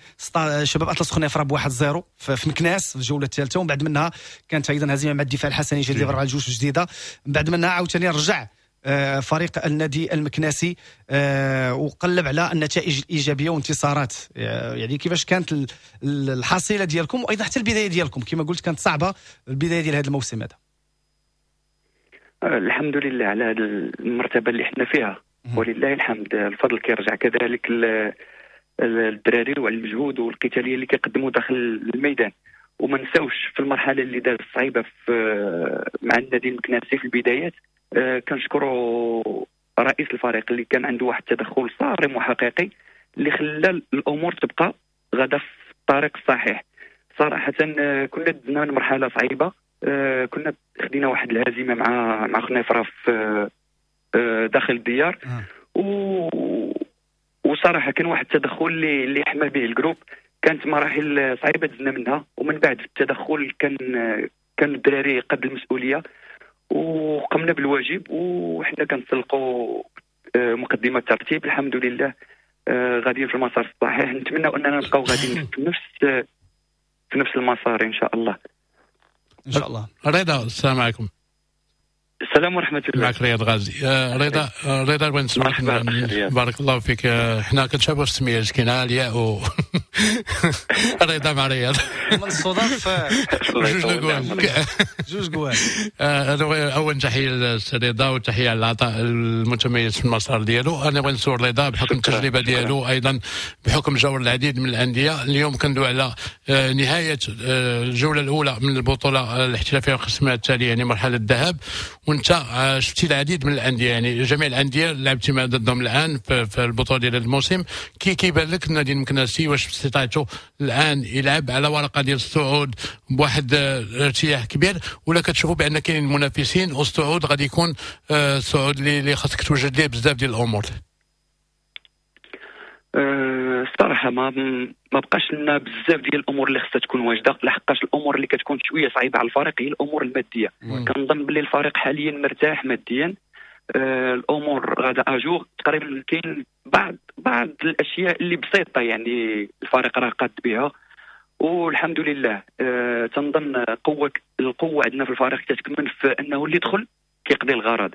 شباب اطلس خنيفره بواحد zéro في مكناس في الجولة الثالثة، ومن بعد منها كانت ايضا هزيمة مع الدفاع الحسني جديد باربعة لجوج جديدة. من بعد منها عاوتاني رجع فريق النادي المكناسي وقلب على النتائج الايجابية وانتصارات. يعني كيفاش كانت الحصيلة ديالكم وايضا حتى البداية ديالكم كما قلت كانت صعبة البداية ديال هذا الموسم هذا؟ الحمد لله على هذه المرتبة اللي احنا فيها ولله الحمد. الفضل كيرجع كذلك للدراري وعلى المجهود والقتاليه اللي كيقدموا داخل الميدان. وما نساوش في المرحلة اللي دازت صعيبة في مع النادي المكناسي في البدايات، كنشكروا رئيس الفريق اللي كان عنده واحد التدخل صارم وحقيقي اللي خلى الامور تبقى غادا في الطريق الصحيح. صراحة كنا دزنا من مرحلة صعيبة، كنا خدينا واحد الهزيمة مع مع خنيفره في داخل الديار، و وصراحة كان واحد التدخل اللي اللي حمى به ال groupe. كانت مراحل صعيبة دزنا منها، ومن بعد التدخل كان كان الدراري قد المسؤولية وقمنا بالواجب، وحنا كنسلقوا مقدمه الترتيب الحمد لله، غاديين في المسار الصحيح. نتمنى اننا نبقاو غاديين في نفس في نفس المسار ان شاء الله. ان شاء الله. رضا السلام عليكم. السلام ورحمة الله. معك رياض غازي. آه رضا، رضا بغيت نسمعك. بارك الله فيك. حنا كنشابهوا السمية كاينه الياء و رضا مع رياض من الصدف جوج جوال جوج جوال. اول تحية للسي رضا وتحية على العطاء المتميز في المسار ديالو. انا بغيت نسول رضا بحكم التجربة ديالو، ايضا بحكم جور العديد من الاندية. اليوم كندوي على نهاية الجولة الاولى من البطولة الاحترافية القسم التالي، يعني مرحلة الذهاب، وانت شفتي العديد من الاندية، يعني جميع الاندية لعبتي مع ضدهم الان في البطولة ديال هذا الموسم. كي كيبان لك النادي المكناسي واش باستطاعته الان يلعب على ورقة ديال الصعود بواحد ارتياح كبير، ولا كتشوفوا بان كاينين منافسين والصعود غادي يكون الصعود اللي خاصك توجد ليه بزاف ديال الامور؟ الصراحة ما ما بقاش لنا بزاف ديال الامور اللي خصها تكون واجدة، لحقاش الامور اللي كتكون شوية صعيبة على الفريق هي الامور المادية. كنظن باللي الفريق حاليا مرتاح ماديا، آه الامور غادا à jour تقريبا. كاين بعض بعض الاشياء اللي بسيطة يعني الفريق راه قاد بها والحمد لله. آه تنظن قوة القوة عندنا في الفريق كتكمن في انه اللي دخل كيقضي الغرض.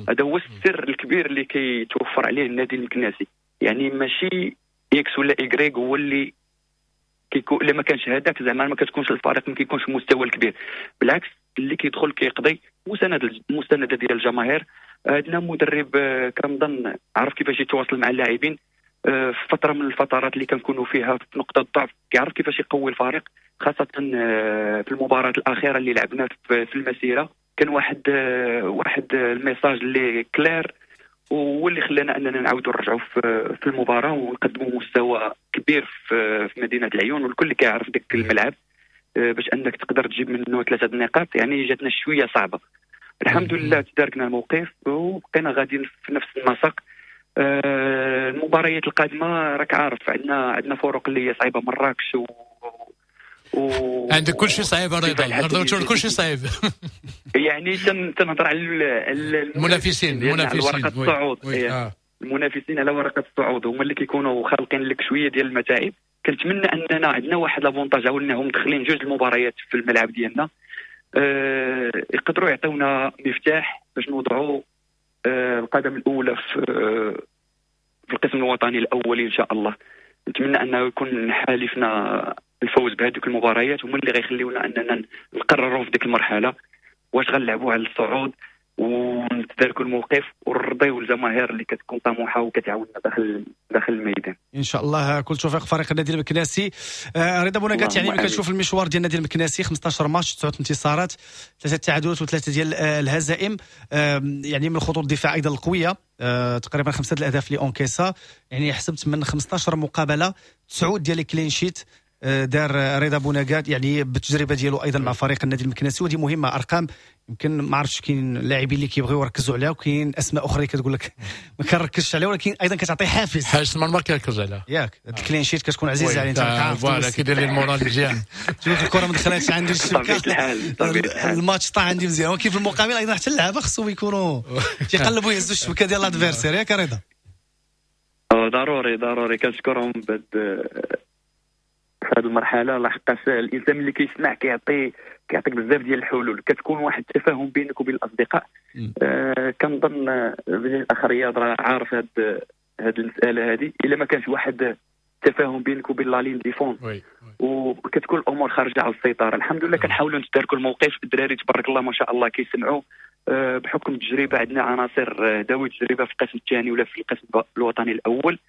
هذا هو السر الكبير اللي كيتوفر عليه النادي المكناسي، يعني ماشي X ولا Y هو اللي كيكون، الا ما كانش هذاك زعما ما كتكونش الفريق ما كيكونش المستوى الكبير. بالعكس اللي كيدخل كيقضي، مساندة المساندة ديال الجماهير. عندنا مدرب كنظن عرف كيفاش يتواصل مع اللاعبين في فترة من الفترات اللي كنكونوا فيها في نقطة ضعف، كيعرف كيفاش يقوي الفريق، خاصة في المباراة الاخيرة اللي لعبنا في المسيرة. كان واحد واحد ال message اللي clair وهو اللي خلانا اننا نعاودوا نرجعوا في في المباراة ونقدموا مستوى كبير في في مدينة العيون، والكل كيعرف داك الملعب باش انك تقدر تجيب منه ثلاثة النقاط، يعني جاتنا شوية صعبة. الحمد لله تداركنا الموقف وبقينا غاديين في نفس النسق. المباريات القادمة راك عارف عندنا عندنا فرق اللي هي صعيبة، مراكش و و... عندك كل شيء صعيب رضا، كل شيء صعيب. يعني تنهضر على المنافسين، المنافسين على ورقة الصعود. آه. المنافسين على ورقة الصعود هما اللي كيكونوا خالقين لك شوية ديال المتاعب. كنتمنى اننا عندنا واحد l'avantage، او انهم داخلين جوج المباريات في الملعب ديالنا، أه يقدروا يعطيونا مفتاح باش نوضعوا أه القدم الاولى في في القسم الوطني الاول ان شاء الله. نتمنى انه يكون حالفنا الفوز بهذوك المباريات، هما اللي غيخليونا اننا نقرروا في ديك المرحلة واش غنلعبوا على الصعود ونتداركوا الموقف ونرضيو الجماهير اللي كتكون طموحه وكتعاوننا داخل داخل الميدان. ان شاء الله كل توفيق فريق النادي المكناسي. آه رضا بوناكات، يعني ملي كتشوف المشوار ديال النادي المكناسي خمسطاش ماتش، تسعة انتصارات، ثلاثة تعادلات وثلاثة ديال الهزائم، آه يعني من خطوط الدفاع ايضا القوية، آه تقريبا خمسة الاهداف اللي encaissa، يعني حسبت من خمسطاش مقابله تسعة ديال ال clean sheet. دار رضا بوناكات يعني بالتجربة ديالو ايضا مع فريق النادي المكناسي، ودي مهمة. ارقام يمكن ما عرفتش كاين لاعبين اللي كيبغيو يركزوا عليها وكاين اسماء اخرى كتقول لك ما كنركزش عليها، ولكن ايضا كتعطي حافز. حارس المرمى كيركز عليها ياك، ال clean sheet كتكون عزيزه عليه انت عارف، voilà كيدير لي ال moral مزيان. تشوف الكره ما دخلاتش عندي الشبكة، الماتش طاح عندي مزيان، ولكن في المقابل ايضا حتى اللعابه خصهم يكونوا تيقلبوا يهزوا الشبكة ديال l'adversaire، ياك رضا؟ ضروري ضروري كنشكرهم بهاد في هذه المرحلة، لحقاش الانسان اللي كيسمع كيعطي كيعطيك بزاف ديال الحلول، كتكون واحد التفاهم بينك وبين الاصدقاء. آه كنظن الاخ رياض راه عارف هاد هاد المسالة هذه، الا ما كانش واحد التفاهم بينك وبين la ligne défense وكتكون الامور خارجه على السيطرة. الحمد لله كنحاولوا نتداركوا الموقف، الدراري تبارك الله ما شاء الله كيسمعوا، آه بحكم التجربة عندنا عناصر ذوي تجربه في القسم الثاني ولا في القسم الوطني الاول.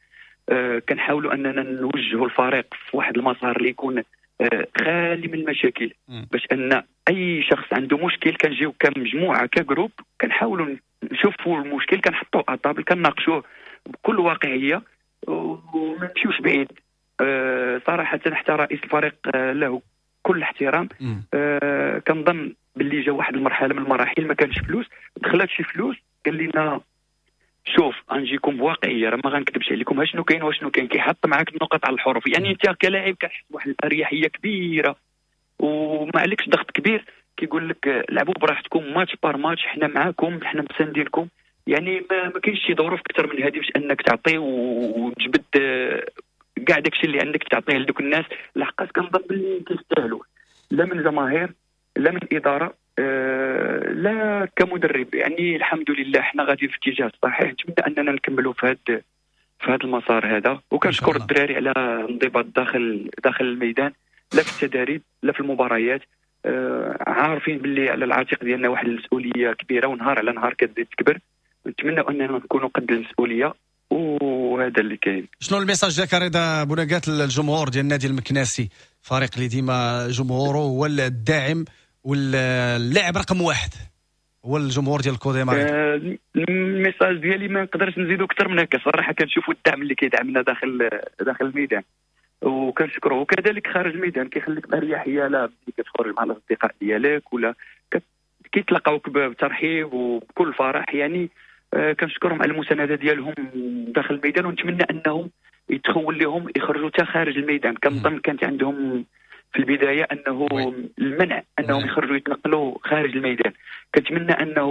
آه كنحاولوا اننا نوجهوا الفريق في واحد المسار اللي يكون آه خالي من المشاكل، باش ان اي شخص عنده مشكل كنجيو كمجموعة ك groupe كنحاولوا نشوفوا المشكل، كنحطوه à table، كنناقشوه بكل واقعية وما نمشيوش بعيد. آه صراحة حتى رئيس الفريق آه له كل احترام، آه كنظن باللي جا واحد المرحلة من المراحل ما كانش فلوس، دخلت شي فلوس قال لنا شوف غنجيكم بواقعية، راه ما غنكذبش عليكم، ها شنو كاين وشنو كاين، كيحط معاك النقط على الحروف. يعني انت كلاعب كتحس بواحد الاريحيه كبيرة وما عليكش ضغط كبير، كيقول لك لعبوا براحتكم match par match، حنا معاكم، حنا مساندينكم. يعني ما, ما كاينش شي ظروف اكثر من هذه باش انك تعطي وتجبد كاع داكشي اللي عندك تعطيه لدوك الناس، لحقاش كنظن باللي كيستاهلوا، لا من جماهير لا من ادارة آه لا كمدرب. يعني الحمد لله حنا غاديين في الاتجاه الصحيح، نتمنى اننا نكملوا في هذا في هذا المسار هذا. وكنشكر الدراري على الانضباط داخل داخل الميدان، لا في التدريب لا في المباريات، آه عارفين باللي على العاتق ديالنا واحد المسؤولية كبيرة، ونهار على نهار كتزيد تكبر. نتمنى اننا نكونوا قد المسؤولية، وهذا اللي كاين. شنو ال message ديالك رضا بوناكات للجمهور ديال النادي المكناسي، فريق اللي ديما جمهوره هو الداعم واللاعب رقم واحد هو الجمهور ديال الكوديم؟ آه ال message ديالي ما نقدرش نزيدو اكثر من هكا صراحة. كنشوفوا الدعم اللي كيدعمنا داخل داخل الميدان وكنشكروه، وكذلك خارج الميدان كيخليك باريحية، لا ملي كتخرج مع الاصدقاء ديالك ولا كيتلاقاوك بترحيب وبكل فرح. يعني آه كنشكرهم على المساندة ديالهم داخل الميدان، ونتمنى انهم يتخول لهم يخرجوا حتى خارج الميدان. كنظن كانت عندهم في البداية انه المنع انهم يخرجوا يتنقلوا خارج الميدان. كنتمنى انه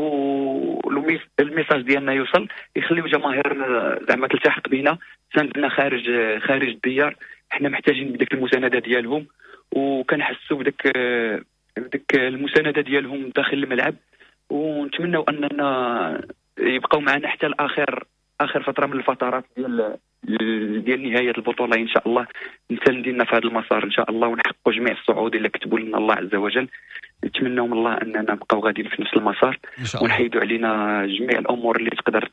ال message ديالنا يوصل، يخليو جماهيرنا زعما تلتحق بنا، تساندنا خارج خارج الديار. حنا محتاجين بديك المساندة ديالهم، وكنحسوا بديك بديك المساندة ديالهم داخل الملعب، ونتمنوا اننا يبقاو معنا حتى الاخر اخر فترة من الفترات ديال ديال نهاية البطولة ان شاء الله. نساندينا في هذا المسار ان شاء الله، ونحققوا جميع الصعود اللي كتبوا لنا الله عز وجل. نتمنوا من الله اننا نبقاو غاديين في نفس المسار، ونحيدوا علينا جميع الامور اللي تقدر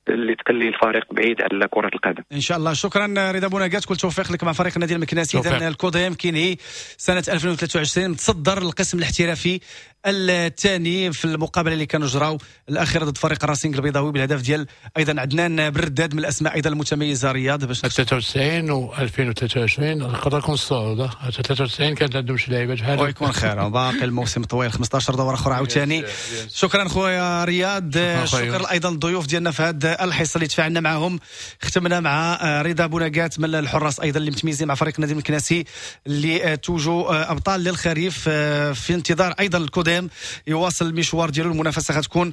اللي تخلي الفريق بعيد على كره القدم ان شاء الله. شكرا رضا بوناكات، كل التوفيق لك مع فريق النادي المكناسي. اذا الكوديم كينهي سنة ألفين وثلاثة وعشرين متصدر القسم الاحترافي الثاني في المقابلة اللي كانوا جراو الاخيرة ضد فريق راسينغ البيضاوي بالهدف ديال ايضا عدنان برداد من الاسماء ايضا المتميزة. رياض باش ثلاثة وتسعين و ألفين وثلاثة وعشرين نقدر نكون الصعود ثلاثة وتسعين كانت عندهم شي لعيبة بحال ويكون خير، باقي الموسم طويل خمسطاش دوره اخرى عاوتاني. شكرا خويا رياض، شكرا ايضا للضيوف ديالنا في هذه الحصة اللي تفاعلنا معهم. ختمنا مع رضا بوناكات من الحراس ايضا اللي متميزين مع فريق النادي المكناسي اللي توجوا ابطال للخريف، في انتظار ايضا الكوديم يواصل المشوار ديالو. المنافسة غتكون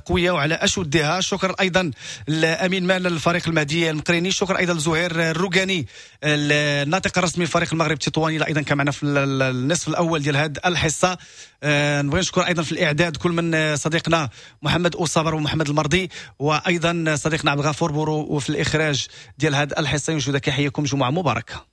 قوية وعلى اشدها. شكرا ايضا لامين مال الفريق المهدي المقريني، شكرا ايضا لزهير الروقاني الناطق الرسمي لفريق المغرب التطواني ايضا كان معنا في النصف الاول ديال هذه الحصة. آه نبغي نشكر ايضا في الاعداد كل من صديقنا محمد أوصابر ومحمد المرضي، وايضا صديقنا عبد الغفور بورو، وفي الاخراج ديال هذه الحصة. ينجو كيحييكم جمعه مباركة.